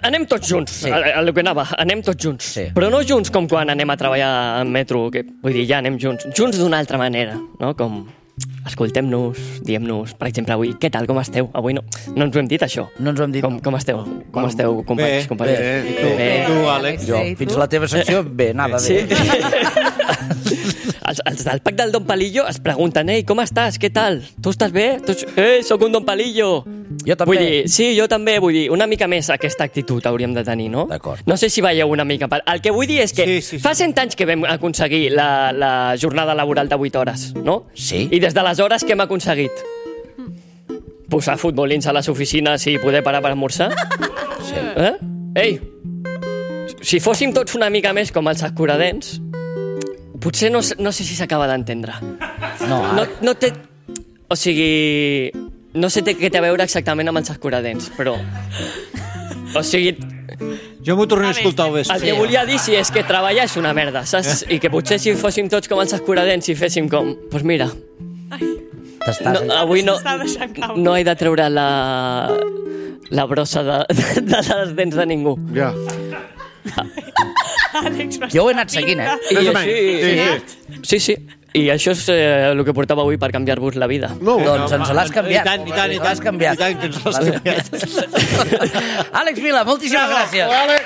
Speaker 5: Anem tots junts, el que anava, anem tots junts.
Speaker 1: Sí.
Speaker 5: Però no junts com quan anem a treballar en metro, que, vull dir, ja anem junts. Junts d'una altra manera, no? Com escoltem-nos, diem-nos, per exemple, avui, què tal, com esteu? Avui no ens ho hem dit, això.
Speaker 1: No ens ho hem dit.
Speaker 5: Com esteu? Com esteu, companys?
Speaker 2: Bé. Tu, Àlex?
Speaker 1: Jo, fins a la teva secció, bé, nada bé.
Speaker 5: Els del pack del Don Palillo es pregunten, ei, com estàs? Què tal? Tu estàs bé? Soc un Don Palillo.
Speaker 1: Jo també.
Speaker 5: Vull dir, sí, jo també, vull dir, una mica més aquesta actitud hauríem de tenir, no?
Speaker 1: D'acord.
Speaker 5: No sé si veieu una mica... El que vull dir és que fa 100 anys que vam aconseguir la jornada laboral de 8 hores, no?
Speaker 1: Sí.
Speaker 5: I des d'aleshores què hem aconseguit? Posar futbolins a les oficines i poder parar per esmorzar?
Speaker 1: Sí.
Speaker 5: Ei, si fóssim tots una mica més com els escuradents, potser no sé si s'acaba d'entendre. No té... O sigui... No sé què té a veure exactament amb els escuradents, però... O sigui...
Speaker 4: Jo m'ho tornaré a escoltar al vespre.
Speaker 5: El que volia dir és que treballar és una merda, saps? I que potser si fóssim tots com els escuradents i féssim com... Doncs mira... Avui no he de treure la brossa de les dents de ningú.
Speaker 2: Ja.
Speaker 1: Jo ho he anat seguint,
Speaker 5: Sí. I això és el que portava avui per canviar-vos la vida.
Speaker 1: Doncs ens l'has canviat.
Speaker 4: I tant.
Speaker 1: L'has canviat. Àlex Vila, moltíssimes gràcies.
Speaker 2: Àlex.